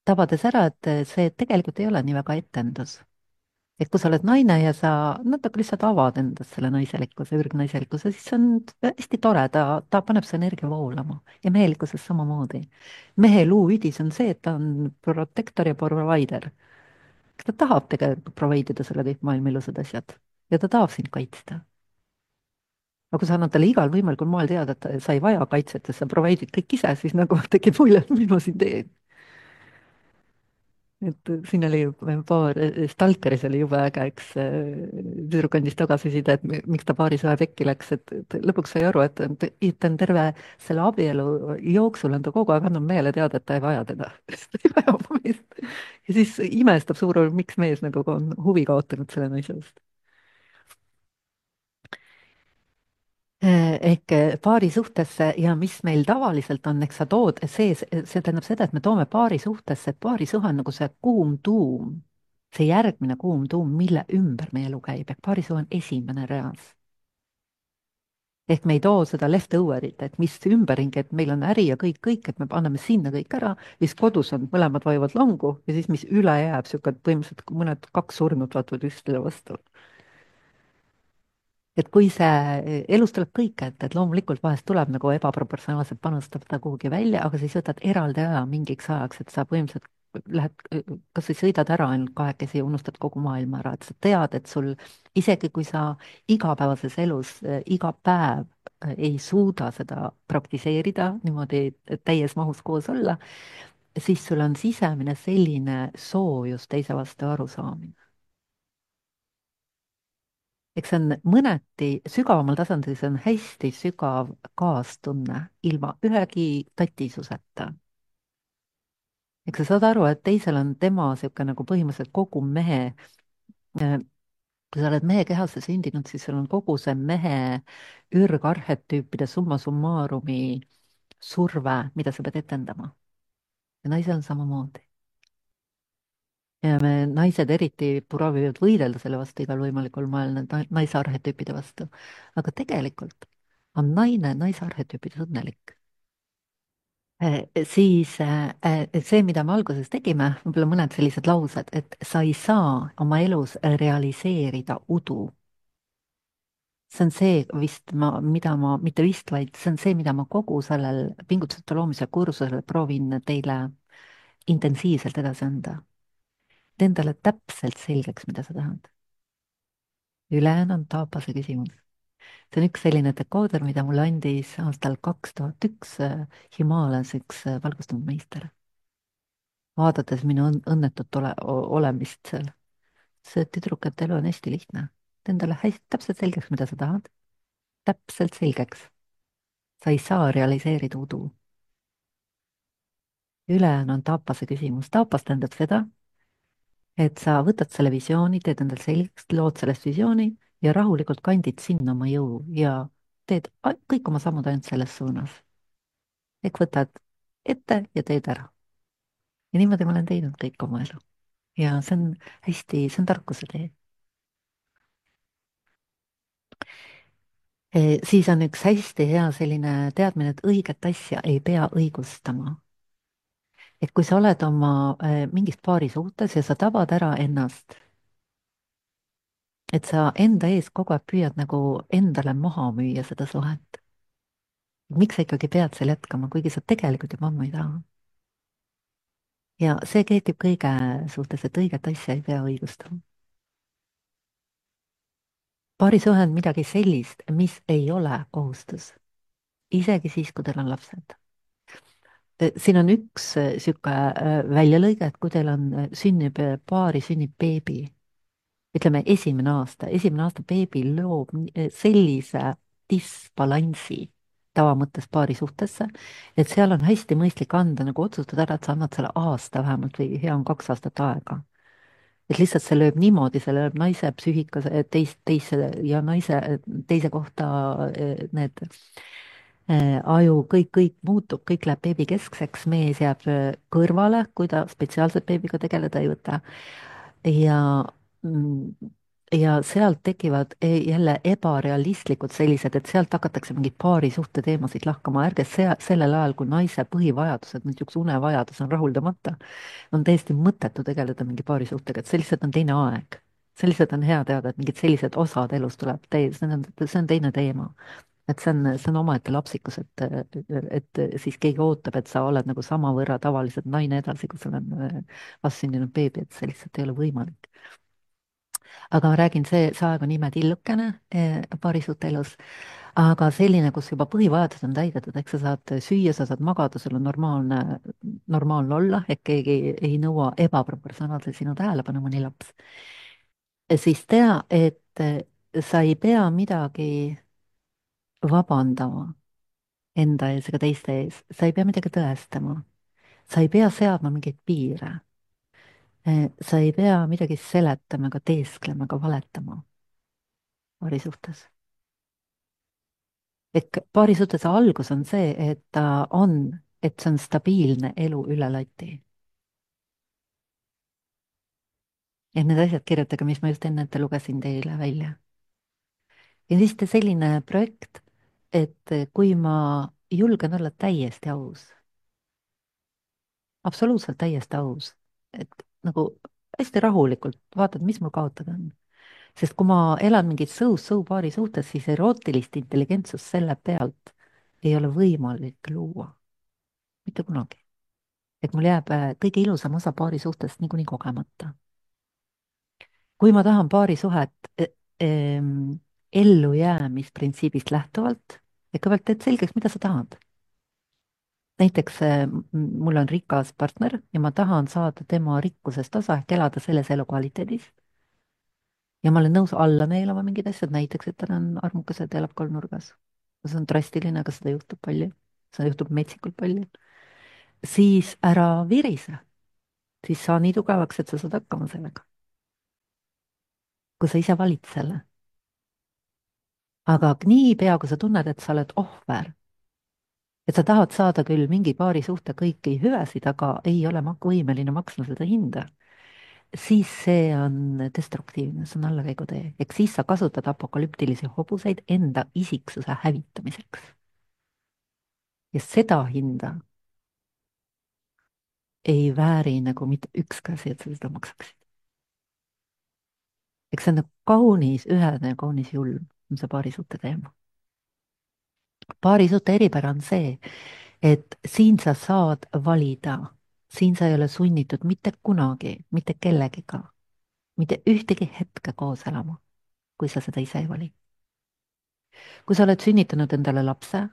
tabades ära, et eh, see tegelikult ei ole nii väga etendus. et kui sa oled naine ja sa natuke lihtsalt avad endast selle naiselikkuse, ürgnaiselikkuse, siis see on hästi tore, ta, ta paneb su energia voolama ja mehelikkuses samamoodi. mehe luuüdis on see, et ta on protektor ja provider. ta tahab tegelikult provide ida sulle kõik maailma ilusad asjad ja ta tahab sind kaitsta. aga kui sa annad talle igal võimalikul moel teada, et sa ei vaja kaitset ja sa provide'id kõik ise, siis nagu tekib mulje, et mis ma siin teen. et siin oli paar, Stalkeris oli jube äge, üks tüdruk andis tagasiside, et mi- miks ta paarisaja pekki läks, et, et lõpuks sai aru, et ta ta on terve selle abielu jooksul on ta kogu aeg andnud mehele teada, et ta ei vaja teda. ta ei vaja oma meest. ja siis imestab suur, miks mees nagu on huvi kaotanud selle naise vastu. ehk paari suhtesse ja mis meil tavaliselt on, eks sa tood, see, see tähendab seda, et me toome paari suhtesse, et paarisuhe on nagu see kuum tuum, see järgmine kuum tuum, mille ümber meie elu käib, ehk paarisuhe on esimene reas. ehk me ei too seda leftover'it, et mis ümberringi, et meil on äri ja kõik, kõik, et me anname sinna kõik ära, siis kodus on, mõlemad vajuvad langu ja siis, mis üle jääb, sihuke põhimõtteliselt mõned kaks surnut vaatavad üksteisele vastu. et kui see, elus tuleb kõike ette, et loomulikult vahest tuleb nagu ebaproportsionaalselt panustada kuhugi välja, aga siis võtad eraldi aja mingiks ajaks, et sa põhimõtteliselt lähed, kas või sõidad ära ainult kahekesi ja unustad kogu maailma ära, et sa tead, et sul isegi kui sa igapäevases elus äh, iga päev äh, ei suuda seda praktiseerida niimoodi täies mahus koos olla, siis sul on sisemine selline soojus teise vastu arusaamine. eks see on mõneti sügavamal tasandil, see on hästi sügav kaastunne ilma ühegi tatisuseta. eks sa saad aru, et teisel on tema niisugune nagu põhimõtteliselt kogu mehe, äh, kui sa oled mehe kehasse sündinud, siis sul on kogu see mehe ürgarhetüüpide summa summarumi surve, mida sa pead etendama. ja naisel on samamoodi. ja me naised eriti proovivad võidelda selle vastu igal võimalikul moel, need na- naise arhetüüpide vastu. aga tegelikult on naine naise arhetüüpides õnnelik. Eh, siis eh, eh, see, mida me alguses tegime, võib-olla mõned sellised laused, et sa ei saa oma elus realiseerida udu. see on see vist ma, mida ma, mitte vist, vaid see on see, mida ma kogu sellel pingutuste loomise kursusel proovin teile intensiivselt edasi anda. tee endale täpselt selgeks, mida sa tahad. ülejäänu on taapase küsimus. see on üks selline dekooder, mida mulle andis aastal kaks tuhat üks Himaalias üks äh, valgustunud meister, vaadates minu õn- õnnetut ole, o- olemist seal. see tüdruk, et elu on hästi lihtne. tee endale hästi täpselt selgeks, mida sa tahad. täpselt selgeks. sa ei saa realiseerida udu. ülejäänu on taapase küsimus. taapas tähendab seda, et sa võtad selle visiooni, teed endale selgeks, lood sellest visiooni ja rahulikult kandid sinna oma jõu ja teed a- kõik oma sammud ainult selles suunas. ehk võtad ette ja teed ära. ja niimoodi ma olen teinud kõik oma elu. ja see on hästi, see on tarkuse tee. Eh, siis on üks hästi hea selline teadmine, et õiget asja ei pea õigustama. et kui sa oled oma eh, mingis paari suhtes ja sa tabad ära ennast, et sa enda ees kogu aeg püüad nagu endale maha müüa seda suhet. miks sa ikkagi pead seal jätkama, kuigi sa tegelikult juba ammu ei taha. ja see kehtib kõige suhtes, et õiget asja ei pea õigustama. paarisuhe on midagi sellist, mis ei ole kohustus, isegi siis, kui teil on lapsed. siin on üks niisugune väljalõige, et kui teil on, sünnib paari, sünnib beebi, ütleme esimene aasta, esimene aasta beebi loob ni- sellise disbalansi tavamõttes paari suhtesse, et seal on hästi mõistlik anda nagu otsustada ära, et sa annad selle aasta vähemalt või hea on kaks aastat aega. et lihtsalt see lööb niimoodi, see lööb naise psüühika teist, teise ja naise teise kohta eh, need eh, aju, kõik, kõik muutub, kõik läheb beebikeskseks, mees jääb eh, kõrvale, kui ta spetsiaalselt beebiga tegeleda ei võta. ja mm, ja sealt tekivad e- jälle ebarealistlikud sellised, et sealt hakatakse mingeid paarisuhte teemasid lahkama, ärge sea, sellel ajal, kui naise põhivajadused, niisuguse unevajadus on rahuldamata, on täiesti mõttetu tegeleda mingi paarisuhtega, et see lihtsalt on teine aeg. see lihtsalt on hea teada, et mingid sellised osad elus tuleb täis, see on, see on teine teema. et see on, see on omaette lapsikus, et, et siis keegi ootab, et sa oled nagu samavõrra tavaliselt naine edasi, kui sul on äh, vastsündinud beebi, et see lihtsalt ei ole võimalik. aga ma räägin, see, see aeg on imetillukene eh, paarisuhte elus, aga selline, kus juba põhivajadused on täidetud, ehk sa saad süüa, sa saad magada, sul on normaalne, normaalne olla, ehk keegi ei nõua ebaproportsionaalselt sinu tähelepanu, mõni laps. siis tea, et eh, sa ei pea midagi vabandama enda ees ega teiste ees, sa ei pea midagi tõestama, sa ei pea seadma mingeid piire. Eh, sa ei pea midagi seletama ega teesklema ega valetama paari suhtes. ehk paari suhtes algus on see, et ta on, et see on stabiilne elu üle lati. et need asjad kirjutage, mis ma just enne ette lugesin teile välja. ja siis te selline projekt, et kui ma julgen olla täiesti aus, absoluutselt täiesti aus, et nagu hästi rahulikult vaatad, mis mul kaotada on. sest kui ma elan mingit sõus-sõu paari suhtes, siis erootilist intelligentsust selle pealt ei ole võimalik luua. mitte kunagi. et mul jääb äh, kõige ilusam osa paari suhtest niikuinii kogemata. kui ma tahan paari suhet eh, em, ellujäämisprintsiibist lähtuvalt, ja kõigepealt teed selgeks, mida sa tahad. näiteks eh, m- mul on rikas partner ja ma tahan saada tema rikkusest osa ehk elada selles elukvaliteedis. ja ma olen nõus alla neelama mingid asjad, näiteks, et ta on armukas ja ta elab kolmnurgas. see on drastiline, aga seda juhtub palju. seda juhtub metsikult palju. siis ära virise, siis saa nii tugevaks, et sa saad hakkama sellega. kui sa ise valid selle. aga niipea, kui sa tunned, et sa oled ohver, et sa tahad saada küll mingi paari suhte kõiki hüvesid, aga ei ole mak- võimeline maksma seda hinda, siis see on destruktiivne, see on allakäigutee. ehk siis sa kasutad apokalüptilisi hobuseid enda isiksuse hävitamiseks. ja seda hinda ei vääri nagu mitte ükski asi, et sa seda maksaksid. eks see on nagu kaunis ühene ja kaunis julm, on see paarisuhte teema. paarisuhte eripära on see, et siin sa saad valida, siin sa ei ole sunnitud mitte kunagi, mitte kellegiga, mitte ühtegi hetke koos elama, kui sa seda ise ei vali. kui sa oled sünnitanud endale lapse,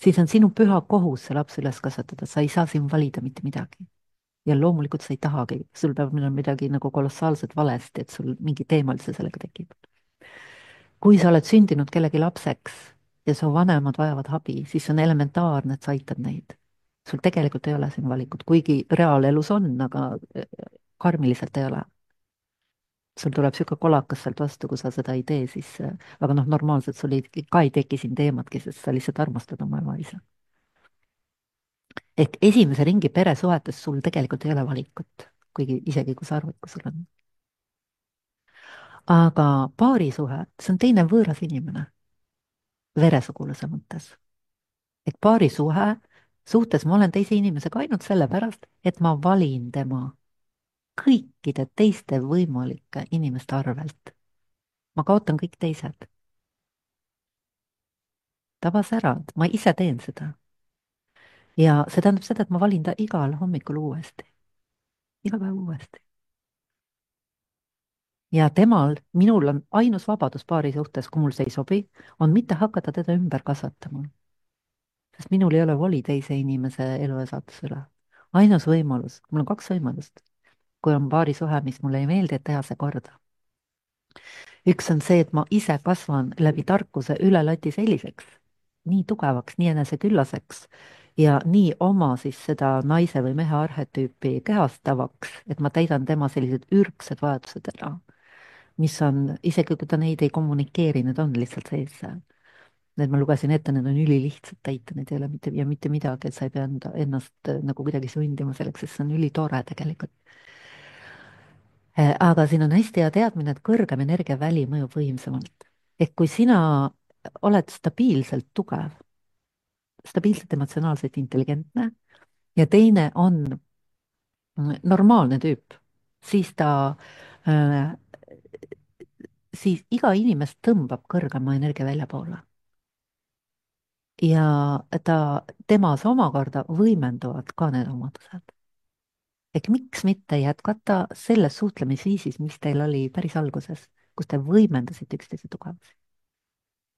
siis on sinu püha kohus see laps üles kasvatada, sa ei saa siin valida mitte midagi. ja loomulikult sa ei tahagi, sul peab olema midagi nagu kolossaalselt valesti, et sul mingi teema üldse sellega tekib. kui sa oled sündinud kellegi lapseks ja su vanemad vajavad abi, siis on elementaarne, et sa aitad neid. sul tegelikult ei ole siin valikut, kuigi reaalelus on, aga äh, karmiliselt ei ole. sul tuleb sihuke kolakas sealt vastu, kui sa seda ei tee, siis, äh, aga noh, normaalselt sul ei, ka ei teki siin teematki, sest sa lihtsalt armastad oma ema-isa. ehk esimese ringi peresuhetes sul tegelikult ei ole valikut, kuigi isegi kui sa arvad, kui sul on. aga paarisuhe, see on teine võõras inimene veresuguluse mõttes. et paarisuhe, suhtes ma olen teise inimesega ainult sellepärast, et ma valin tema kõikide teiste võimalike inimeste arvelt. ma kaotan kõik teised. tabas ära, et ma ise teen seda. ja see tähendab seda, et ma valin ta igal hommikul uuesti. iga päev uuesti. ja temal, minul on ainus vabadus paari suhtes, kui mul see ei sobi, on mitte hakata teda ümber kasvatama. sest minul ei ole voli teise inimese elu ja saatuse üle. ainus võimalus, mul on kaks võimalust, kui on paarisuhe, mis mulle ei meeldi, et teha see korda. üks on see, et ma ise kasvan läbi tarkuse üle lati selliseks, nii tugevaks, nii eneseküllaseks ja nii oma siis seda naise või mehe arhetüüpi kehastavaks, et ma täidan tema sellised ürgsed vajadused ära, mis on, isegi kui ta neid ei kommunikeeri, need on lihtsalt sees seal. Need ma lugesin ette, need on ülilihtsad täita, need ei ole mitte ja mitte midagi, et sa ei pea enda, ennast äh, nagu kuidagi sundima selleks, sest see on ülitore tegelikult. Äh, aga siin on hästi hea teadmine, et kõrgem energiaväli mõjub võimsamalt. ehk kui sina oled stabiilselt tugev, stabiilselt emotsionaalselt intelligentne ja teine on mm, normaalne tüüp, siis ta äh, siis iga inimest tõmbab kõrgema energia väljapoole. ja ta, temas omakorda võimenduvad ka need omadused. ehk miks mitte jätkata selles suhtlemisviisis, mis teil oli päris alguses, kus te võimendasite üksteise tugevusi.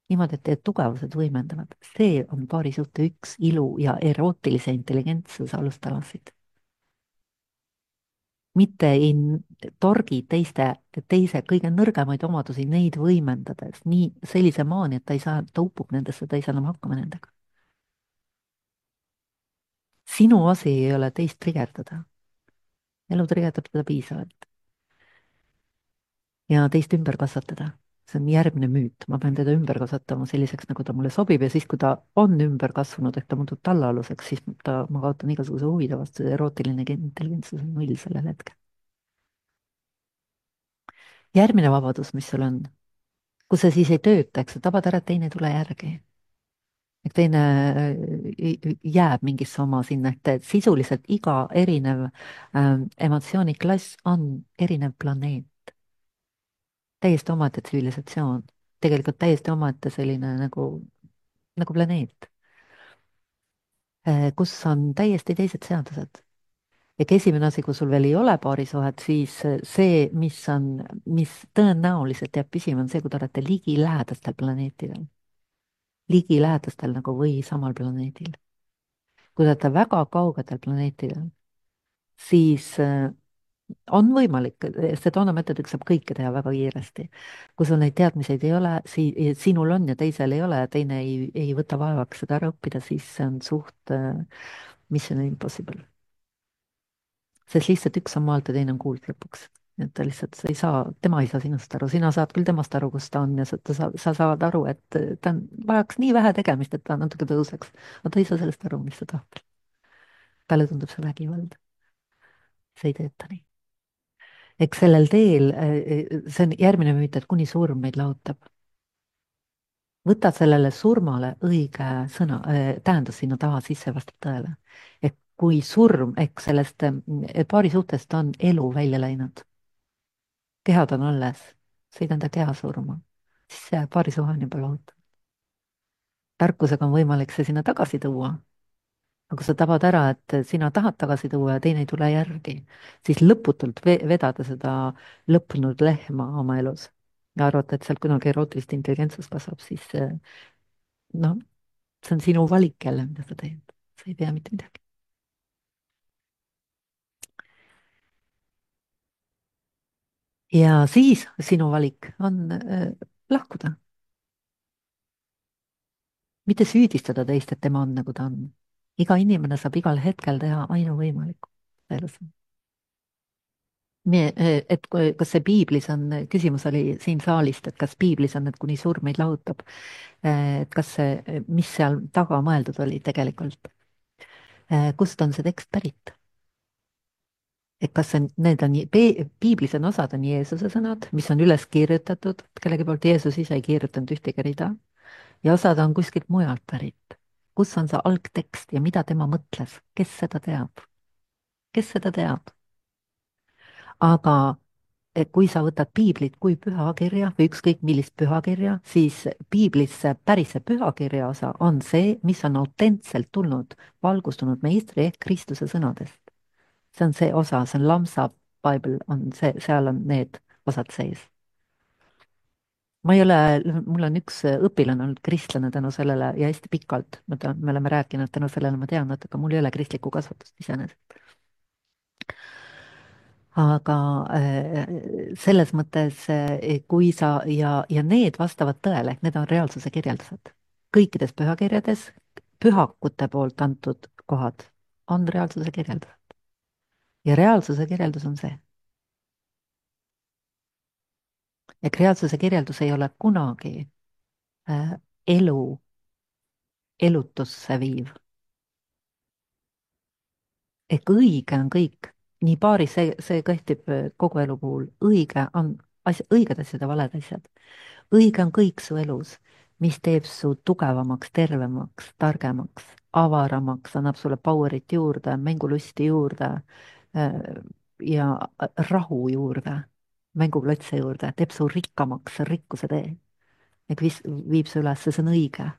niimoodi, et teie tugevused võimendavad, see on paari suhte üks ilu ja erootilise intelligentsuse alustalasid. mitte ei torgi teiste, teise kõige nõrgemaid omadusi, neid võimendades nii sellise maani, et ta ei saa, ta upub nendesse, ta ei saa enam hakkama nendega. sinu asi ei ole teist trigerdada. elu trigerdab teda piisavalt. ja teist ümber kasvatada. see on järgmine müüt, ma pean teda ümber kasvatama selliseks, nagu ta mulle sobib ja siis, kui ta on ümber kasvanud, ehk ta muutub tallaaluseks, siis ta, ma kaotan igasuguse huvide vastu, erootiline intelligentsus on null sellel hetkel. järgmine vabadus, mis sul on, kus see siis ei tööta, eks sa tabad ära, et teine ei tule järgi. et teine äh, jääb mingisse oma sinna, et sisuliselt iga erinev ähm, emotsiooniklass on erinev planeet. täiesti omaette tsivilisatsioon, tegelikult täiesti omaette selline nagu, nagu planeet, äh, kus on täiesti teised seadused. ehk esimene asi, kui sul veel ei ole paarisuhet, siis äh, see, mis on, mis tõenäoliselt jääb püsima, on see, kui te olete ligilähedastel planeetidel. ligilähedastel nagu või samal planeedil. kui te olete väga kaugetel planeetidel, siis äh, on võimalik, Sedona meetodiga saab kõike teha väga kiiresti. kui sul neid teadmiseid ei ole, si-, sinul on ja teisel ei ole ja teine ei, ei võta vaevaks seda ära õppida, siis see on suht äh, mission impossible. sest lihtsalt üks on maalt ja teine on kuuld lõpuks. et ta lihtsalt, sa ei saa, tema ei saa sinust aru, sina saad küll temast aru, kus ta on ja sa, ta sa, sa saad aru, et ta on, vajaks nii vähe tegemist, et ta natuke tõuseks. aga ta ei saa sellest aru, mis ta tahab. talle tundub see vägivald. see ei tööta nii. eks sellel teel, see on järgmine müüt, et kuni surm meid lahutab. võta sellele surmale õige sõna, tähendus sinna taha sisse, vastab tõele. et kui surm, ehk sellest paari suhtest on elu välja läinud, kehad on alles, see ei tähenda keha surma, siis see paari suhe on juba lahutatud. tarkusega on võimalik see sinna tagasi tuua. aga kui sa tabad ära, et sina tahad tagasi tuua ja teine ei tule järgi, siis lõputult ve vedada seda lõppenud lehma oma elus ja arvata, et sealt kunagi erootilist intelligentsust kasvab, siis eh, noh, see on sinu valik jälle, mida sa teed. sa ei tea mitte midagi. ja siis sinu valik on äh, lahkuda, mitte süüdistada teist, et tema on nagu ta on. iga inimene saab igal hetkel teha ainuvõimalikku elus. Me, et kui- kas see piiblis on, küsimus oli siin saalist, et kas piiblis on, et kuni surm meid lahutab, et kas see, mis seal taga mõeldud oli tegelikult, kust on see tekst pärit? et kas see, need on, piiblis on osad on Jeesuse sõnad, mis on üles kirjutatud kellegi poolt, Jeesus ise ei kirjutanud ühtegi rida, ja osad on kuskilt mujalt pärit. kus on see algtekst ja mida tema mõtles, kes seda teab? kes seda teab? aga et kui sa võtad piiblit kui pühakirja või ükskõik millist pühakirja, siis piiblis see päris see pühakirja osa on see, mis on autentselt tulnud valgustunud meistri ehk Kristuse sõnadest. see on see osa, see on Lamsa Bible, on see, seal on need osad sees. ma ei ole, mul on üks õpilane olnud kristlane tänu sellele ja hästi pikalt, ma tean, me oleme rääkinud, tänu sellele ma tean natuke, mul ei ole kristlikku kasvatust iseenesest. aga äh, selles mõttes, äh, kui sa ja, ja need vastavad tõele, need on reaalsuse kirjeldused. kõikides pühakirjades pühakute poolt antud kohad on reaalsuse kirjeldused. ja reaalsuse kirjeldus on see. ja reaalsuse kirjeldus ei ole kunagi äh, elu elutusse viiv. ehk õige on kõik, nii paaris, see, see kehtib äh, kogu elu puhul, õige on asja, õiged asjad ja valed asjad. õige on kõik su elus, mis teeb su tugevamaks, tervemaks, targemaks, avaramaks, annab sulle power'it juurde, mängulusti juurde äh, ja rahu juurde, mänguklotse juurde, teeb su rikkamaks, rikkuse tee. ehk vis-, viib su üles, see on õige.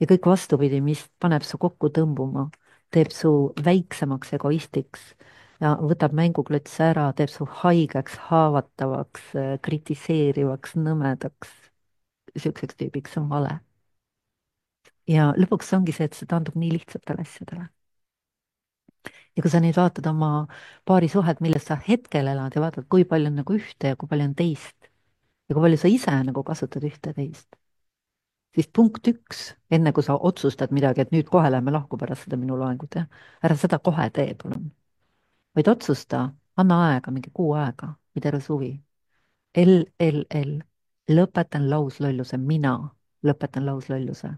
ja kõik vastupidi, mis paneb su kokku tõmbuma, teeb su väiksemaks egoistiks ja võtab mänguklotse ära, teeb su haigeks, haavatavaks, kritiseerivaks, nõmedaks, siukseks tüübiks, see on vale. ja lõpuks ongi see, et see taandub nii lihtsatele asjadele. ja kui sa nüüd vaatad oma paari suhet, milles sa hetkel elad ja vaatad, kui palju on nagu ühte ja kui palju on teist ja kui palju sa ise nagu kasutad ühte ja teist, siis punkt üks, enne kui sa otsustad midagi, et nüüd kohe lähme lahku pärast seda minu loengut, jah, ära seda kohe tee, palun. vaid otsusta, anna aega, mingi kuu aega või terve suvi. L, L, L, lõpetan lauslolluse, mina lõpetan lauslolluse.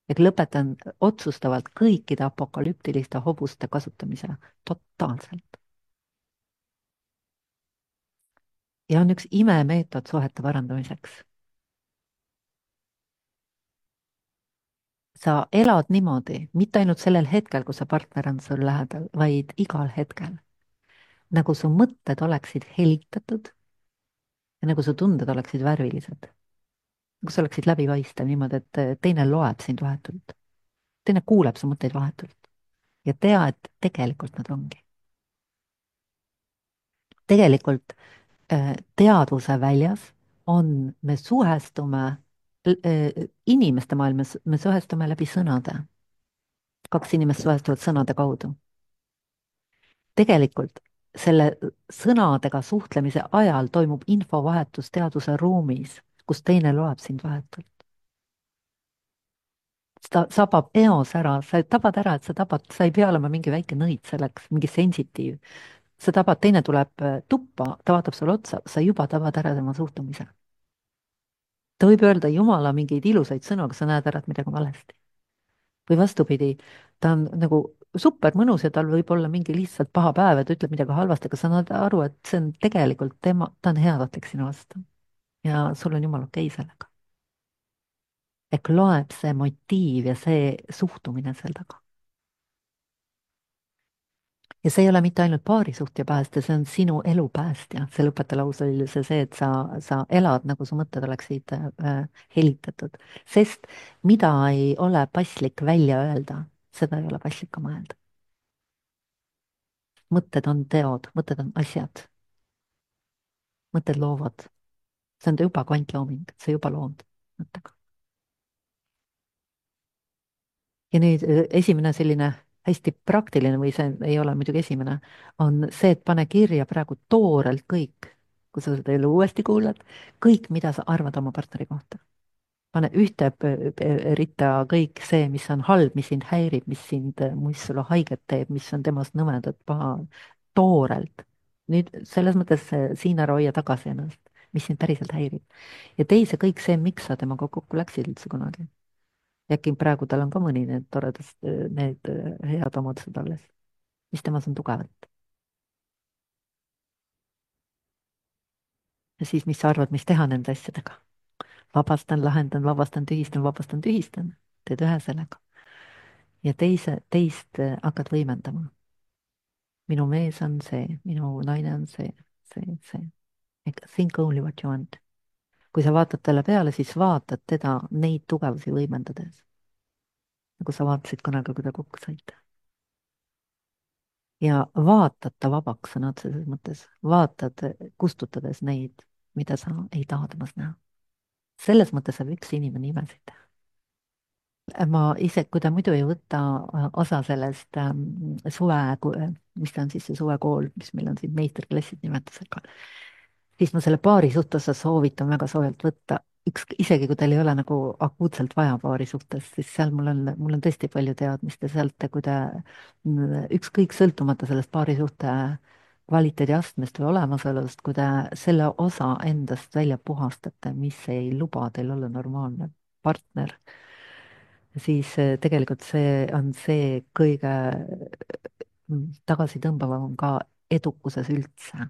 ehk lõpetan otsustavalt kõikide apokalüptiliste hobuste kasutamise totaalselt. ja on üks imemeetod suhete parandamiseks. sa elad niimoodi, mitte ainult sellel hetkel, kui see partner on sul lähedal, vaid igal hetkel. nagu su mõtted oleksid helitatud ja nagu su tunded oleksid värvilised. nagu sa oleksid läbipaistev niimoodi, et teine loeb sind vahetult. teine kuuleb su mõtteid vahetult. ja tea, et tegelikult nad ongi. tegelikult äh, teadvuse väljas on, me suhestume äh, inimeste maailmas, me suhestume läbi sõnade. kaks inimest suhestuvad sõnade kaudu. tegelikult selle sõnadega suhtlemise ajal toimub infovahetus teaduse ruumis, kus teine loeb sind vahetult. ta sabab eos ära, sa tabad ära, et sa tabad, sa ei pea olema mingi väike nõid selleks, mingi sensitiiv. sa tabad, teine tuleb äh, tuppa, ta vaatab sulle otsa, sa juba tabad ära tema suhtumise. ta võib öelda jumala mingeid ilusaid sõnu, aga sa näed ära, et midagi on valesti. või vastupidi, ta on nagu super mõnus ja tal võib olla mingi lihtsalt paha päev ja ta ütleb midagi halvasti, aga sa saad aru, et see on tegelikult tema, ta on heatahtlik sinu vastu. ja sul on jumala okei sellega. ehk loeb see motiiv ja see suhtumine seal taga. ja see ei ole mitte ainult paarisuhte päästja, see on sinu elu päästja. selle õpetelause oli see, see, et sa, sa elad nagu su mõtted oleksid äh, helitatud, sest mida ei ole paslik välja öelda, seda ei ole paslik ka mõelda. mõtted on teod, mõtted on asjad, mõtted loovad. see on juba kvantlooming, sa juba lood mõttega. ja nüüd äh, esimene selline hästi praktiline või see ei ole muidugi esimene, on see, et pane kirja praegu toorelt kõik, kui sa seda elu uuesti kuulad, kõik, mida sa arvad oma partneri kohta. pane ühte p- p- ritta kõik see, mis on halb, mis sind häirib, mis sind, mis sulle haiget teeb, mis on temast nõmedat, paha, toorelt. nüüd selles mõttes äh, siin ära hoia tagasi ennast, mis sind päriselt häirib. ja teise kõik see, miks sa temaga kokku läksid üldse kunagi. äkki praegu tal on ka mõni need toredad, need äh, head omadused alles, mis temas on tugevat. ja siis, mis sa arvad, mis teha nende asjadega? vabastan, lahendan, vabastan, tühistan, vabastan, tühistan, teed ühe sellega. ja teise, teist äh, hakkad võimendama. minu mees on see, minu naine on see, see, see. Think only what you want. kui sa vaatad talle peale, siis vaatad teda neid tugevusi võimendades. nagu sa vaatasid kunagi, kui te kokku saite. ja vaatad ta vabaks sõna otseses mõttes, vaatad, kustutades neid, mida sa ei taha temas näha. selles mõttes saab üks inimene imesid teha. ma ise, kui ta muidu ei võta äh, osa sellest ähm, suve, mis ta on siis see suvekool, mis meil on siin meisterklassid nimetusega, siis ma selle paari suhtes soovitan väga soojalt võtta, üks, isegi kui teil ei ole nagu akuutselt vaja paari suhtes, siis seal mul on, mul on tõesti palju teadmist ja sealt, kui te mm, ükskõik sõltumata sellest paari suhte kvaliteedi astmest või olemasolust, kui te selle osa endast välja puhastate, mis ei luba teil olla normaalne partner, siis eh, tegelikult see on see kõige mm, tagasitõmbavam ka edukuses üldse.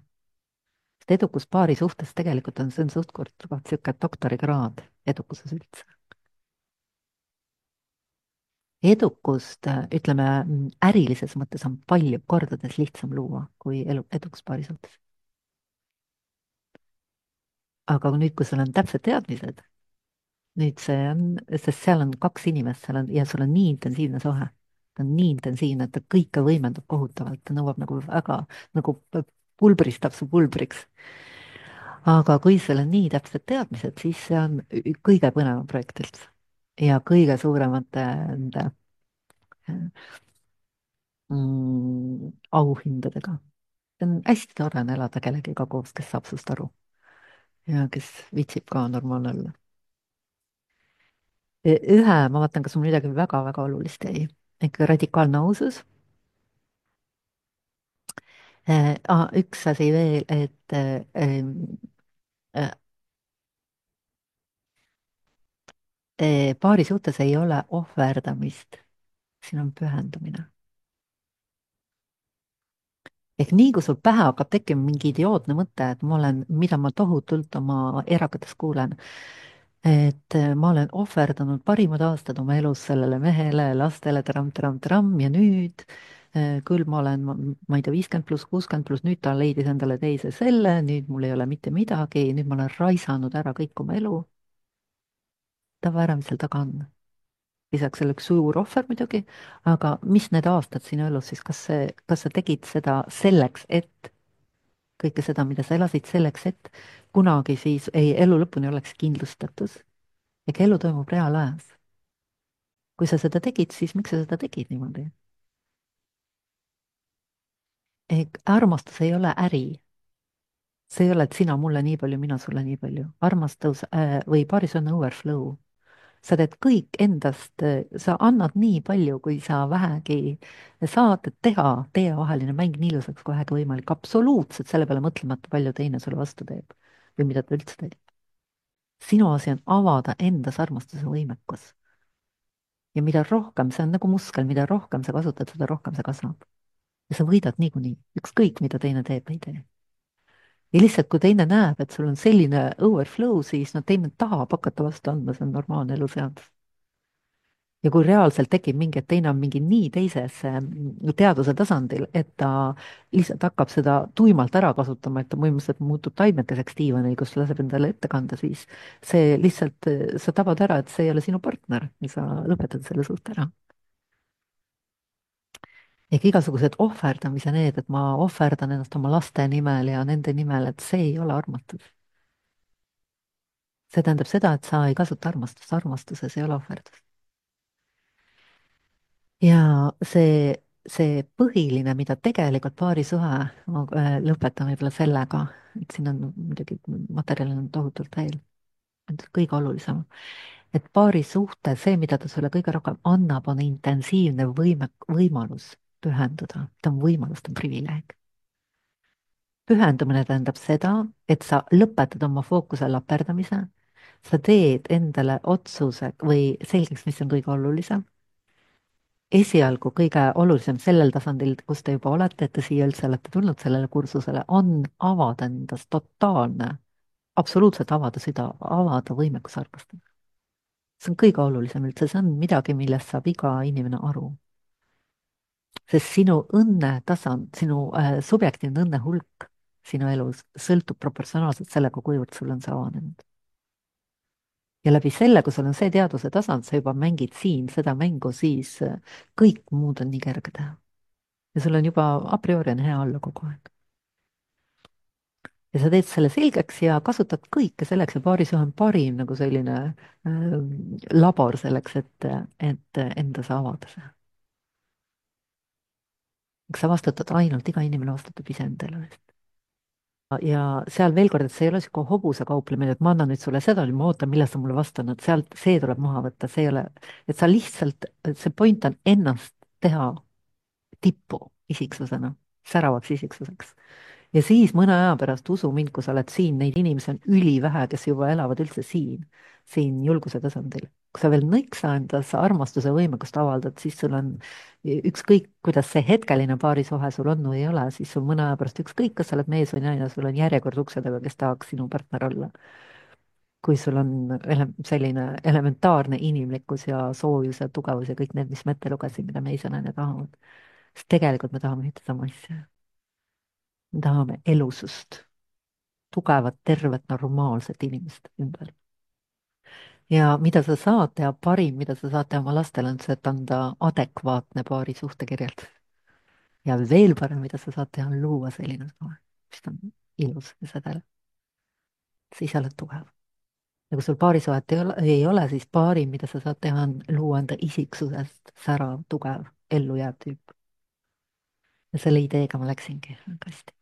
sest edukus paari suhtes tegelikult on, see on suht-koht niisugune doktorikraad edukuses üldse. edukust, äh, ütleme, mm, ärilises mõttes on palju kordades lihtsam luua kui elu, edukus paari suhtes. aga nüüd, kui sul on täpsed teadmised, nüüd see on, sest seal on kaks inimest, seal on ja sul on nii intensiivne suhe. ta on nii intensiivne, et ta kõike võimendab kohutavalt, ta nõuab nagu väga, nagu pulbristab su pulbriks. aga kui sul on nii täpsed teadmised, siis see on ü- kõige põnevam projekt üldse. ja kõige suuremate nende mm, auhindadega. see on hästi tore on elada kellegiga koos, kes saab sust aru ja kes viitsib ka normaalne olla. ühe, ma vaatan, kas mul midagi väga-väga olulist jäi, ikka radikaalne ausus. Äh, ah, üks asi veel, et äh, äh, äh, paari suhtes ei ole ohverdamist, siin on pühendumine. ehk nii, kui sul pähe hakkab tekkima mingi idiootne mõte, et ma olen, mida ma tohutult oma erakates kuulen, et äh, ma olen ohverdanud parimad aastad oma elus sellele mehele, lastele, tramm-tramm-tramm ja nüüd äh, küll ma olen, ma, ma ei tea, viiskümmend pluss, kuuskümmend pluss, nüüd ta leidis endale teise selle, nüüd mul ei ole mitte midagi, nüüd ma olen raisanud ära kõik oma elu. tava ära, mis seal taga on. lisaks selleks suur ohver muidugi, aga mis need aastad sinu elus siis, kas see, kas sa tegid seda selleks, et kõike seda, mida sa elasid selleks, et kunagi siis ei, elu lõpuni oleks kindlustatus. ega elu toimub reaalajas. kui sa seda tegid, siis miks sa seda tegid niimoodi? armastus ei ole äri. See ei ole, et sina mulle nii palju, mina sulle nii palju. armastus äh, või paaris on overflow. Sa teed kõik endast, sa annad nii palju, kui sa vähegi saad teha, teievaheline mäng nii ilusaks kui vähegi võimalik, absoluutselt selle peale mõtlemata, palju teine sulle vastu teeb või mida ta üldse teeb. sinu asi on avada endas armastuse võimekus. ja mida rohkem, see on nagu muskel, mida rohkem sa kasutad, seda rohkem see kasvab. ja sa võidad niikuinii, ükskõik mida teine teeb või ei tee. ja lihtsalt, kui teine näeb, et sul on selline overflow, siis no teine tahab hakata vastu andma, see on normaalne eluseadus. ja kui reaalselt tekib mingi, et teine on mingi nii teises mm, teaduse tasandil, et ta lihtsalt hakkab seda tuimalt ära kasutama, et ta põhimõtteliselt muutub taimekeseks diivanil, kus laseb endale ette kanda, siis see lihtsalt, sa tabad ära, et see ei ole sinu partner ja sa lõpetad selle suhte ära. ehk igasugused ohverdamise need, et ma ohverdan ennast oma laste nimel ja nende nimel, et see ei ole armastus. see tähendab seda, et sa ei kasuta armastust, armastuses ei ole ohverdust. ja see, see põhiline, mida tegelikult paarisuhe, ma äh, lõpetan võib-olla sellega, et siin on muidugi materjali on tohutult veel, et kõige olulisem, et paarisuhte, see, mida ta sulle kõige rohkem annab, on intensiivne võime, võimalus pühenduda, ta on võimalus, ta on privileeg. pühendumine tähendab seda, et sa lõpetad oma fookuse laperdamise, sa teed endale otsuse või selgeks, mis on kõige olulisem. esialgu kõige olulisem sellel tasandil, kus te juba olete, et te siia üldse olete tulnud sellele kursusele, on avada endast totaalne, absoluutselt avada süda, avada võimekus armastada. see on kõige olulisem üldse, see on midagi, millest saab iga inimene aru. sest sinu õnnetasand, sinu äh, subjektiivne õnne hulk sinu elus sõltub proportsionaalselt sellega, kuivõrd sul on see avanenud. ja läbi selle, kui sul on see teadvuse tasand, sa juba mängid siin seda mängu, siis äh, kõik muud on nii kerge teha. ja sul on juba a priori on hea olla kogu aeg. ja sa teed selle selgeks ja kasutad kõike selleks ja paarisuhe on parim nagu selline äh, labor selleks, et, et endas avada see. eks sa vastutad ainult, iga inimene vastutab iseenda elu eest. ja seal veel kord, et see ei ole niisugune hobuse kauplemine, et ma annan nüüd sulle seda, ma ootan, millal sa mulle vastad, et sealt, see tuleb maha võtta, see ei ole, et sa lihtsalt, see point on ennast teha tippu isiksusena, säravaks isiksuseks. ja siis mõne aja pärast, usu mind, kui sa oled siin, neid inimesi on ülivähe, kes juba elavad üldse siin, siin julguse tasandil. kui sa veel nõksa endas armastuse võimekust avaldad, siis sul on ükskõik, kuidas see hetkeline paarisuhe sul on või ei ole, siis sul mõne aja pärast ükskõik, kas sa oled mees või naine, sul on järjekord ukse taga, kes tahaks sinu partner olla. kui sul on ele selline elementaarne inimlikkus ja soojus ja tugevus ja kõik need, mis ma ette lugesin, mida mees ja naine tahavad. sest tegelikult me tahame ühte sama asja. me tahame elusust, tugevat, tervet, normaalset inimest ümber. ja mida sa saad teha, parim, mida sa saad teha oma lastele, on see, et anda adekvaatne paari suhtekirjeldus. ja veel parem, mida sa saad teha, on luua selline suhe, mis on ilus ja sädelev. siis sa oled tugev. ja kui sul paarisuhet ei ole, ei ole, siis parim, mida sa saad teha, on luua enda isiksusest särav, tugev, ellujääv tüüp. ja selle ideega ma läksingi väga hästi.